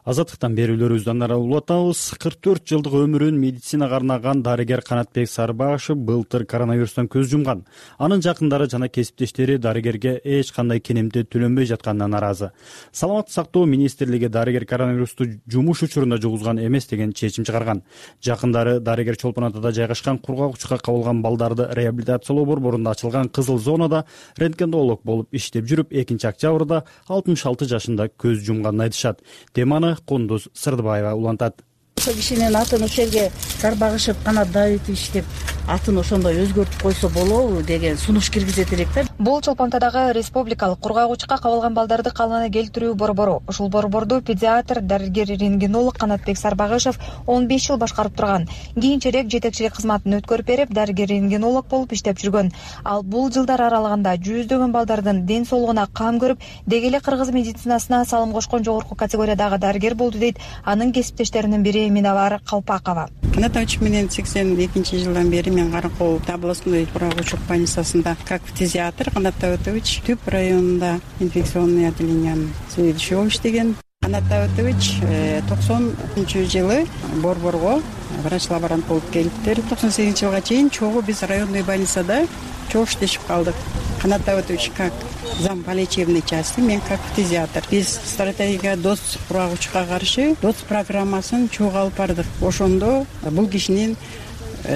Азаттыктан берүүлөрүбүздөн ары улуп атабыз. 44 жылдык өмүрүн медицинага арнаган дарыгер Канатбек Сарбашев былтыр коронавирустан көз жумган. Анын жакындары жана кесиптештери дарыгерге эч кандай кенемти төлөнбөй жатканына нааразы. Саламаттык сактоо министрлиги дарыгер коронавирусту жумуш учурунда жугузган эмес деген чечим чыгарган. Жакындары дарыгер Чолпон Атада жайгашкан кургак-учка кабылган балдарды реабилитациялоо борборунда ачылган кызыл зонада рентгенолог болуп иштеп жүрүп 2-октябрда 66 жашында көз жумганын айтышат. Теманы Кундуз Сырдыбаева улантат. Ошол кишинин атын ошол жерге Сарбагышев Канат Давитович деп атын ошондой өзгөртүп койсо болобу деген сунуш киргизет элек да. Бул Чолпон Атадагы республикалык кургак-учка кабылган балдарды калыбына келтирүү борбору. Ушул борборду педиатр, дарыгер-рентгенолог Канатбек Сарбагышев 15 жыл башкарып турган. Кийинчерээк жетекчилик кызматын өткөрүп берип, дарыгер-рентгенолог болуп иштеп жүргөн. Ал бул жылдар аралыгында жүздөгөн балдардын ден соолугуна кам көрүп, деги эле кыргыз медицинасына салым кошкон жогорку категориядагы дарыгер болду дейт анын кесиптештеринин бири Минавар Калпакова. Канатович менен 82-жылдан бери мен Каракол областной кургак-учук больницасында как фтизиатр, Канат Давитович Түп районунда инфекционный отделениянын заведующий болуп иштеген. Канат Давитович 90-жылы борборго врач-лаборант болуп келиптир. 98-жылга чейин чогуу биз районный больницада чогуу иштешип калдык. Канат Давитович как зам по лечебной части, мен как фтизиатр. Биз стратегия ДОЦ кургак-учукка каршы ДОЦ программасын чогуу алып бардык. Ошондо бул кишинин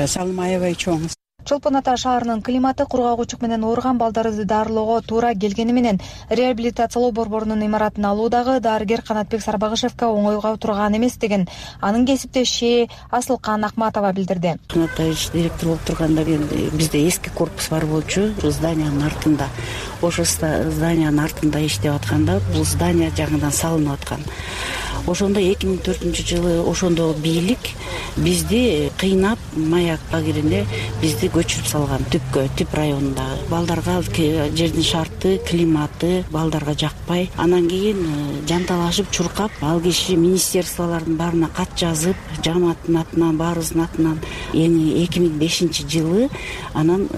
салымы аябай чоң. Чолпон Ата шаарынын климаты кургак-учук менен ооруган балдарды дарылоого туура келгени менен реабилитациялоо борборунун имаратын алуу дагы дарыгер Канатбек Сарбагышевке оңойго турган эмес деген анын кесиптеши Асылкан Акматова билдирди. Канатович директор болуп турганда бизде эски корпус бар болчу, зданиянын артында. Ошол зданиянын артында иштеп атканда бул здания жаңыдан салынып аткан. Ошондо 2004-жылы ошондо бийлик бизди кыйнап Маяк лагерине бизди көчүрүп салган Түпкө, Түп районунда. Балдарга жердин шарты, климаты балдарга жакпай. Анан кийин жанталашып, чуркап, ал киши министерстволордун баарына кат жазып, жамааттын атынан, баарыбыздын атынан 2005-жылы анан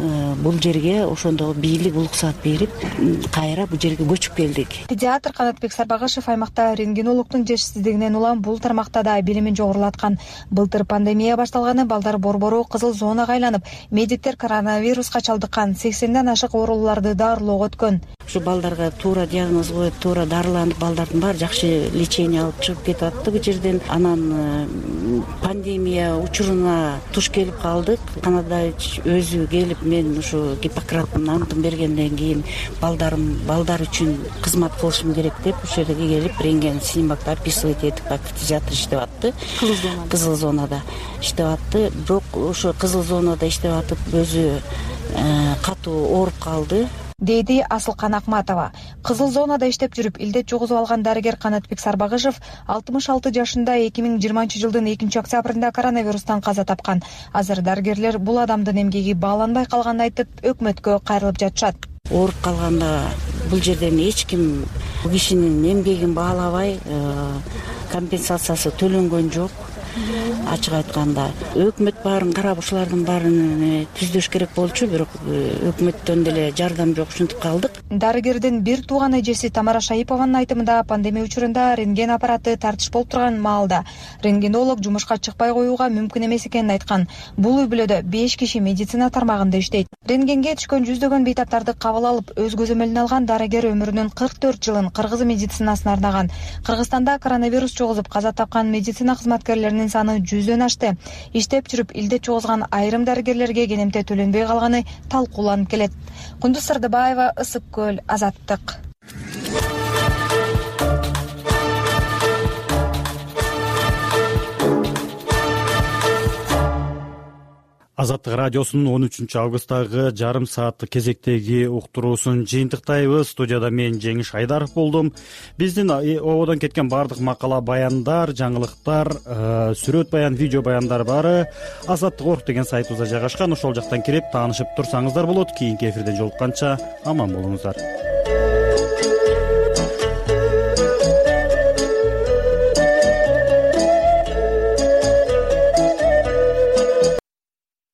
бул жерге ошондо бийлик уруксат берип, кайра бул жерге көчүп келдик. Педиатр Канатбек Сарбагышев аймакта рентгенологдун жетишсиздигинен улам бул тармакта да билимин жогорулаткан. Былтыр пандемия башталганы балдар борбору кызыл зонага айланып, медиктер коронавируска чалдыккан 80ден ашык ооруларды дарылоого өткөн. Ушу балдарга туура диагноз коюп, туура дарыланып, балдардын баары жакшы лечение алып чыгып кетип атты бул жерден. Анан пандемия учуруна туш келип калдык. Канатович өзү келип, мен ушу Гиппократтын антын бергенден кийин балдар үчүн кызмат кылышым керек деп ошол жерге келип, рентген снимокто описывать этип, как фтизиатр иштеп атты. Кызыл зонада иштеп атты. Бирок ошо кызыл зонада иштеп атып өзү катуу ооруп калды, дейди Асылкан Акматова. Кызыл зонада иштеп жүрүп илдет жугузуп алган дарыгер Канатбек Сарбагышев 66 жашында 2020-жылдын 2-октябрында коронавирустан каза тапкан. Азыр дарыгерлер бул адамдын эмгеги бааланбай калганын айтып, өкмөткө кайрылып жатышат. Ооруп калганда бул жерден эч ким бул кишинин эмгегин баалабай, компенсациясы төлөнгөн жок. Ачык айтканда өкмөт баарын карап ушулардын баарын түздөш керек болчу, бирок өкмөттөн деле жардам жок, ушинтип калдык. Дарыгердин бир тууган эжеси Тамара Шаипованын айтымында пандемия учурунда рентген аппараты тартыш болуп турган маалда рентгенолог жумушка чыкпай коюуга мүмкүн эмес экенин айткан. Бул үй бүлөдө 5 киши медицина тармагында иштейт. Рентгенге түшкөн жүздөгөн бейтаптарды кабыл алып, өз көзөмөлүнө алган дарыгер өмүрүнүн 44 жылын кыргыз медицинасына арнаган. Кыргызстанда коронавирус жугузуп каза тапкан медицина кызматкерлеринин саны 100дөн ашты. Иштеп жүрүп илдет жугузган айрым дарыгерлерге кенемте төлөнбөй калганы талкууланып келет. Кундуз Сырдыбаева, Ысык көл, Азаттык. Азаттык радиосунун 13 августтагы жарым сааттык кезектеги уктуруусун жыйынтыктайбыз. Студияда мен Жеңиш Айдаров болдум. Биздин ободон кеткен баардык макала, баяндар, жаңылыктар, сүрөт баян, видео баяндар баары Азаттык.орг деген сайтыбызда жайгашкан. Ошол жактан кирип таанышып турсаңыздар болот. Кийинки эфирден жолукканча аман болуңуздар.